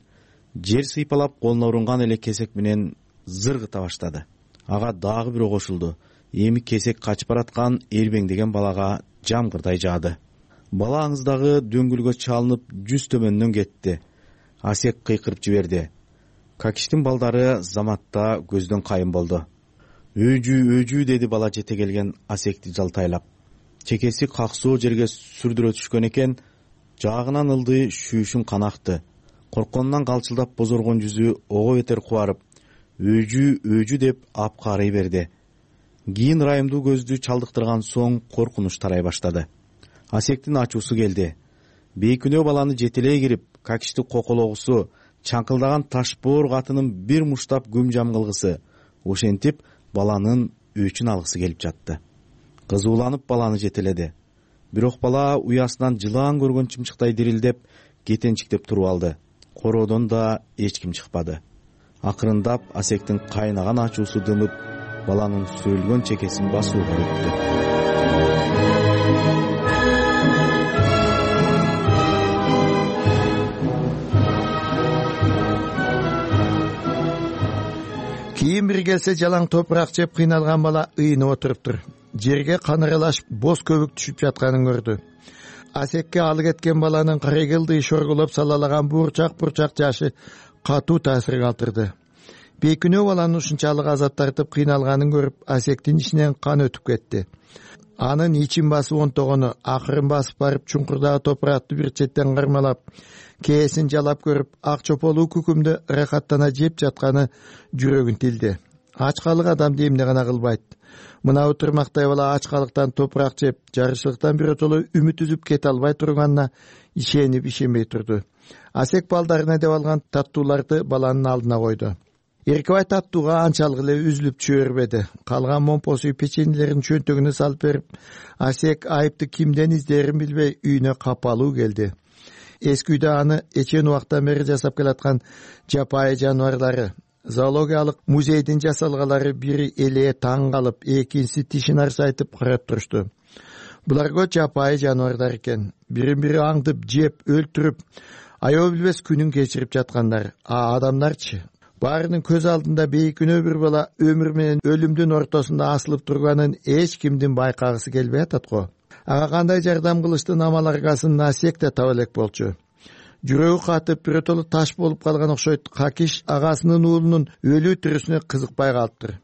Жер сыйпалап колуна урунган эле кесек менен зыргыта баштады. Ага дагы бирөө кошулду. Эми кесек качып бараткан эрбеңдеген балага жамгырдай жаады. Бала аңыздагы дөңгүлгө чалынып жүз төмөндөн кетти. Асек кыйкырып жиберди. Какиштин балдары заматта көздөн кайын болду. Өжүү деди бала жете келген Асекти жалтайлап. Чекеси каксоо жерге сүрдүрө түшкөн экен, жаагынан ылдый шүүшүн канакты. Коркконунан калчылдап бозоргон жүзү ого бетер кубарып, өжүү деп апкарый берди. Кийин ырайымдуу көздү чалдыктырган соң коркунуч тарай баштады. Асектин ачуусу келди. Бейкүнөө баланы жетелей кирип, Какишти кокологусу, чаңкылдаган ташбоор катынын бир муштап күм жам кылгысы, ошентип баланын өчүн алгысы келип жатты. Кызууланып баланы жетеледи. Бирок бала уясынан жылаан көргөн чымчыктай дирилдеп, кетенчиктеп туруп алды. Короодон да эч ким чыкпады. Акырындап Асектин кайнаган ачуусу дымып, баланын сүрүлгөн чекесин басууга өттү. Кийин бир келсе жалаң топурак жеп кыйналган бала ыйынып отуруптур. Жерге каныралашып боз көбүк түшүп жатканын көрдү. Асекке алы кеткен баланын карегилдый шоргулоп салалаган бурчак жашы катуу таасир калтырды. Бейкүнөө баланын ушунчалык азап тартып кыйналганын көрүп, Асектин ичинен кан өтүп кетти. Анын ичин басып онтогону, акырын басып барып чуңкурдагы топуракты бир четтен кармалап, кээсин жалап көрүп, ак чополуу күкүмдү ырахаттана жеп жатканы жүрөгүн тилди. Ачкалык адамды эмне гана кылбайт. Мына утурмактай бала ачкалыктан топурак жеп, жарышлыктан биротоло үмүт үзүп кете албай турганына ишенип ишенбей турду. Асек балдарына деп алган таттууларды баланын алдына койду. Эркебай таттууга анчалык эле үзүлүп түшө бербеди. Калган момпосу печеньелерин чөнтөгүнө салып берип, Асек айыпты кимден издерин билбей үйүнө капалуу келди. Эски үйдө аны эчен убактан бери жасап келаткан жапайы жаныбарлары, зоологиялык музейдин жасалгалары бири эле таң калып, экинчиси тишин арсайтып карап турушту. Булар жапайы жаныбарлар экен. Бирин-бири аңдып, жеп, өлтүрүп, аябы билбес күнүн кечирип жаткандар. А адамдарчы? Баарынын көз алдында бейкүнөө бир бала өмүр менен өлүмдүн ортосунда асылып турганын эч кимдин байкагысы келбей атат го. Ага кандай жардам кылыштын амал аргасын Асек да таба элек болчу. Жүрөгү катып, биротоло таш болуп калган окшойт. Какиш агасынын уулунун өлүү тирүүсүнө кызыкпай калыптыр.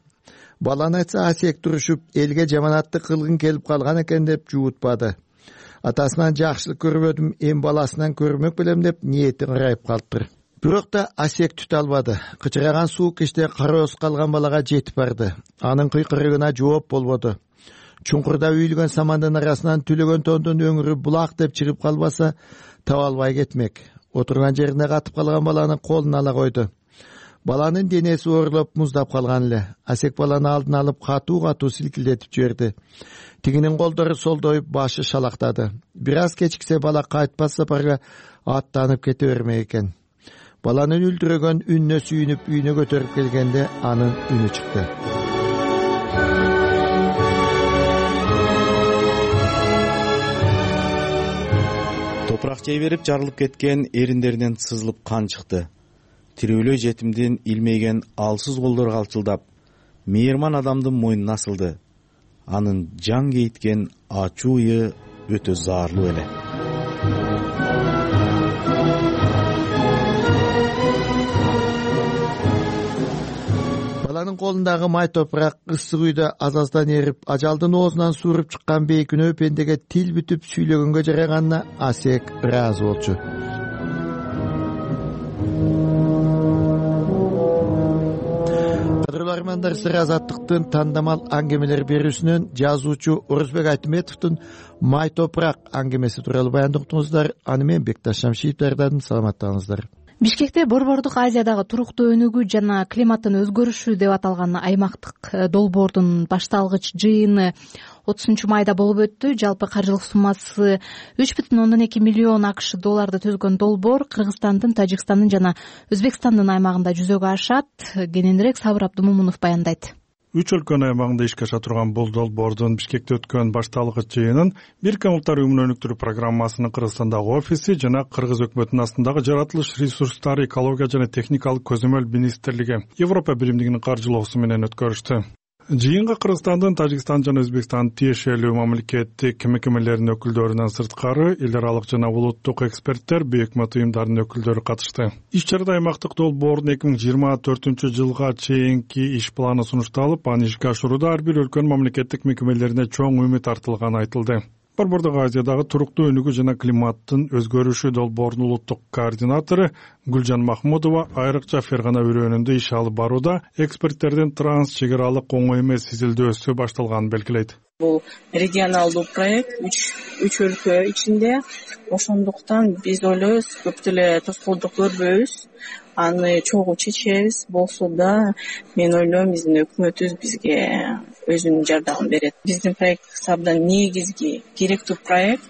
Баланы айтса Асек турушуп, элге жаманатты кылгын келип калган экен деп жуутпады. Атасынан жакшылык көрбөдүм, эми баласынан көрмөк белем деп ниети ырайып калыптыр. Бирок да Асек түтө албады. Кычыраган суук кичте кароосуз калган балага жетип барды. Анын кыйкырыгына жооп болбоду. Чуңкурда үйүлгөн самандын арасынан түлөгөн тондун өңүрү булак деп чыгып калбаса, таба албай кетмек. Отурган жерине катып калган баланы колуна ала койду. Баланын денеси оорлоп муздап калган эле. Асек баланы алдына алып катуу силкилдетип жиберди. Тигинин колдору солдоюп, башы шалактады. Бир аз кечиксе бала кайтпас сапарга аттанып кете бермек экен. Баланын үлдүрөгөн үнүнө сүйүнүп үйүнө көтөрүп келгенде анын үнү чыкты. Топурак жей берип жарылып кеткен эриндеринен сызылып кан чыкты. Тирүүлөй жетимдин илмейген алсыз колдору калчылдап, мейирман адамдын мойнуна асылды. Анын жан кейткен ачуу ыйы өтө заарлуу эле. Баланын колундагы май топурак ысык үйдө аз-аздан эрип, ажалдын оозунан сууруп чыккан бейкүнөө пендеге тил бүтүп сүйлөгөнгө жараганына Асек ыраазы болчу. Кадырлармандар сыр азаттыктын тандамал аңгемелер берүүсүнөн жазуучу Орузбек Айтметовдун май топурак аңгемеси тууралуу баяндап уктуңуздар. Аны мен Бекташ Шамшиев даярдадым. Саламаттаңыздар. Бишкекте Борбордук Азиядагы туруктуу өнүгүү жана климаттын өзгөрүшү деп аталган аймактык долбоордун башталгыч жыйыны 30-майда болуп өттү. Жалпы каржылык суммасы 3,2 миллион АКШ долларды түзгөн долбоор Кыргызстандын, Тажикстандын жана Өзбекстандын аймагында жүзөгө ашат. Кененирээк Сабыр Абдымомунов баяндайт. 3 өлкөнүн аймагында ишке аша турган бул долбоордун Бишкекте өткөн башталгыч жыйынын Бириккен Улуттар Уюмунун өнүктүрүү программасынын Кыргызстандагы офиси жана Кыргыз өкмөтүнүн астындагы жаратылыш ресурстары, экология жана техникалык көзөмөл министрлиги Европа биримдигинин каржылоосу менен өткөрүштү. Жыйынга Кыргызстандын, Тажикстан жана Өзбекстандын тиешелүү мамлекеттик мекемелеринин өкүлдөрүнөн сырткары эл аралык жана улуттук эксперттер, бейөкмөт уюмдарынын өкүлдөрү катышты. Иш чарада аймактык долбоордун 2024-жылга чейинки иш планы сунушталып, аны ишке ашырууда ар бир өлкөнүн мамлекеттик мекемелерине чоң үмүт артылганы айтылды. Борбордук Азиядагы туруктуу өнүгүү жана климаттын өзгөрүшү долбоорунун улуттук координатору Гүлжан Махмудова айрыкча Фергана өрөөнүндө иш алып барууда эксперттердин транс чек аралык оңой эмес изилдөөсү башталганын белгилейт. Бул регионалдуу проект 3 өлкө ичинде, ошондуктан биз ойлойбуз көп деле тоскоолдук көрбөйбүз, аны чогуу чечебиз. Болсо да мен ойлойм биздин өкмөтүбүз бизге өзүнүн жардамын берет. Биздин проект абдан негизги керектүү проект.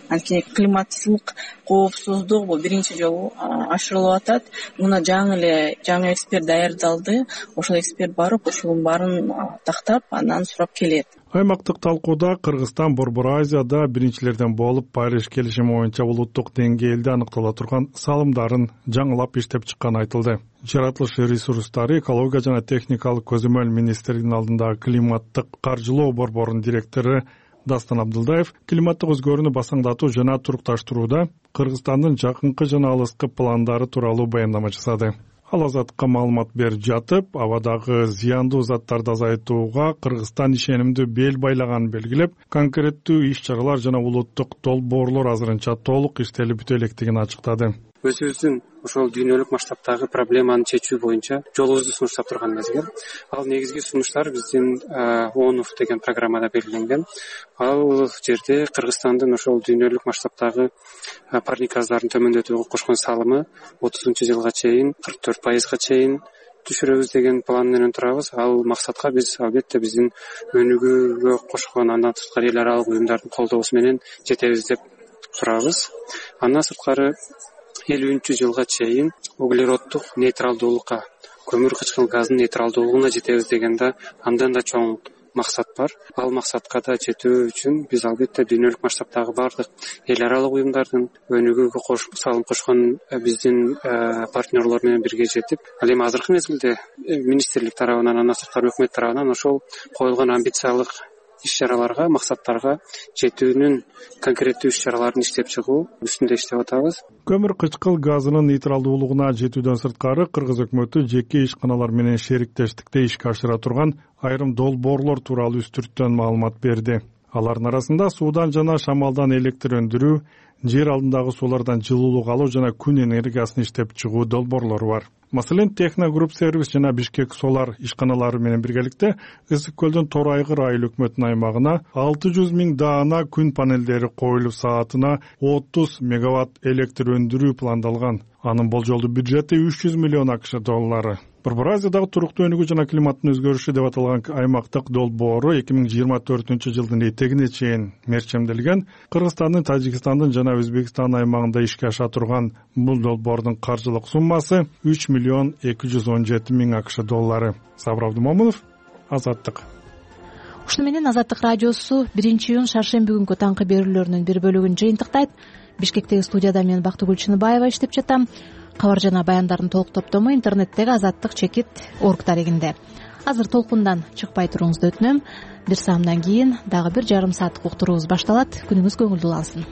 Анткени климаттык коопсуздук бул биринчи жолу ашырылып атат. Муна жаңы эксперт даярдалды. Ошол эксперт барып, ошонун баарын тактап, андан сурап келет. Аймактык талкууда Кыргызстан Борбор Азияда биринчилерден болуп Париж келишими боюнча улуттук деңгээлде аныктала турган салымдарын жаңылап иштеп чыкканы айтылды. Жаратылыш ресурстары, экология жана техникалык көзөмөл министрлигинин алдындагы климаттык каржылоо борборунун директору Дастан Абдылдаев климаттык өзгөрүүнү басаңдатуу жана турукташтырууда Кыргызстандын жакынкы жана алыскы пландары тууралуу баяндама жасады. Ал Азаттыкка маалымат берип жатып, абадагы зыяндуу заттарды азайтууга Кыргызстан ишенимдүү бел байлаганын белгилеп, конкреттүү иш-чаралар жана улуттук долбоорлор азырынча толук иштелип бүтө электигин ачыктады. Өзүбүздүн ошол дүйнөлүк масштабтагы проблеманы чечүү боюнча жолубузду сунуштап турган мезгил. Ал негизги сунуштар биздин ООНУФ деген программада белгиленген. Ал жерде Кыргызстандын ошол дүйнөлүк масштабтагы парник газдарын төмөндөтүүгө кошкон салымы 30-жылга чейин 44%га чейин түшүрөбүз деген план менен турабыз. Ал максатка биз албетте биздин өнүгүүгө кошкон, андан сырткары эл аралык уюмдардын колдоосу менен жетебиз деп турабыз. Андан сырткары 50-жылга чейин углероддук нейтралдуулукка, көмүр кычкыл газдын нейтралдуулугуна жетебиз дегенде андан да чоң максат бар. Ал максатка да жетүү үчүн биз албетте дүйнөлүк масштабтагы бардык эл аралык уюмдардын өнүгүүгө салым кошкон биздин партнерлор менен бирге жетип, ал эми азыркы мезгилде министрлик тарабынан, андан сырткары өкмөт тарабынан ошол коюлган амбициялык иш-чараларга, максаттарга жетүүнүн конкреттүү иш-чараларын иштеп чыгуу үстүндө иштеп атабыз. Көмүр кычкыл газынын нейтралдуулугуна жетүүдөн сырткары Кыргыз өкмөтү жеке ишканалар менен шериктештикте ишке ашыра турган айрым долбоорлор тууралуу үстүрттөн маалымат берди. Алардын арасында суудан жана шамалдан электр өндүрүү, жер алдындагы суулардан жылуулук алуу жана күн энергиясын иштеп чыгуу долбоорлору бар. Маселен, Техно Групп сервис жана Бишкек Солар ишканалары менен биргеликте Ысык көлдүн Тор Айгыр айыл өкмөтүнүн аймагына 600 000 даана күн панелдери коюлуп саатына 30 мегаватт электр өндүрүү пландалган. Анын болжолдуу бюджети $300 миллион $. Борбор Азиядагы туруктуу өнүгүү жана климаттын өзгөрүшү деп аталган аймактык долбоору 2024 жылдын этегине чейин мерчемделген. Кыргызстандын, Тажикстандын жана Өзбекстан аймагында ишке аша турган бул долбоордун каржылык суммасы $3 миллион $217 миң $. Сабыр Абдумомунов, Азаттык. Ушуну менен Азаттык радиосу 1-июнь шаршемби күнгү таңкы берүүлөрүнүн бир бөлүгүн жыйынтыктайт. Бишкектеги студияда мен Бактыгүл Чыныбаева иштеп жатам. Кабар жана баяндардын толук топтому интернеттеги azattik.org дарегинде. Азыр толкундан чыкпай туруңузду өтүнөм. Бир саамдан кийин дагы 1,5 сааттык уктуруубуз башталат. Күнүңүз көңүлдүү алсын.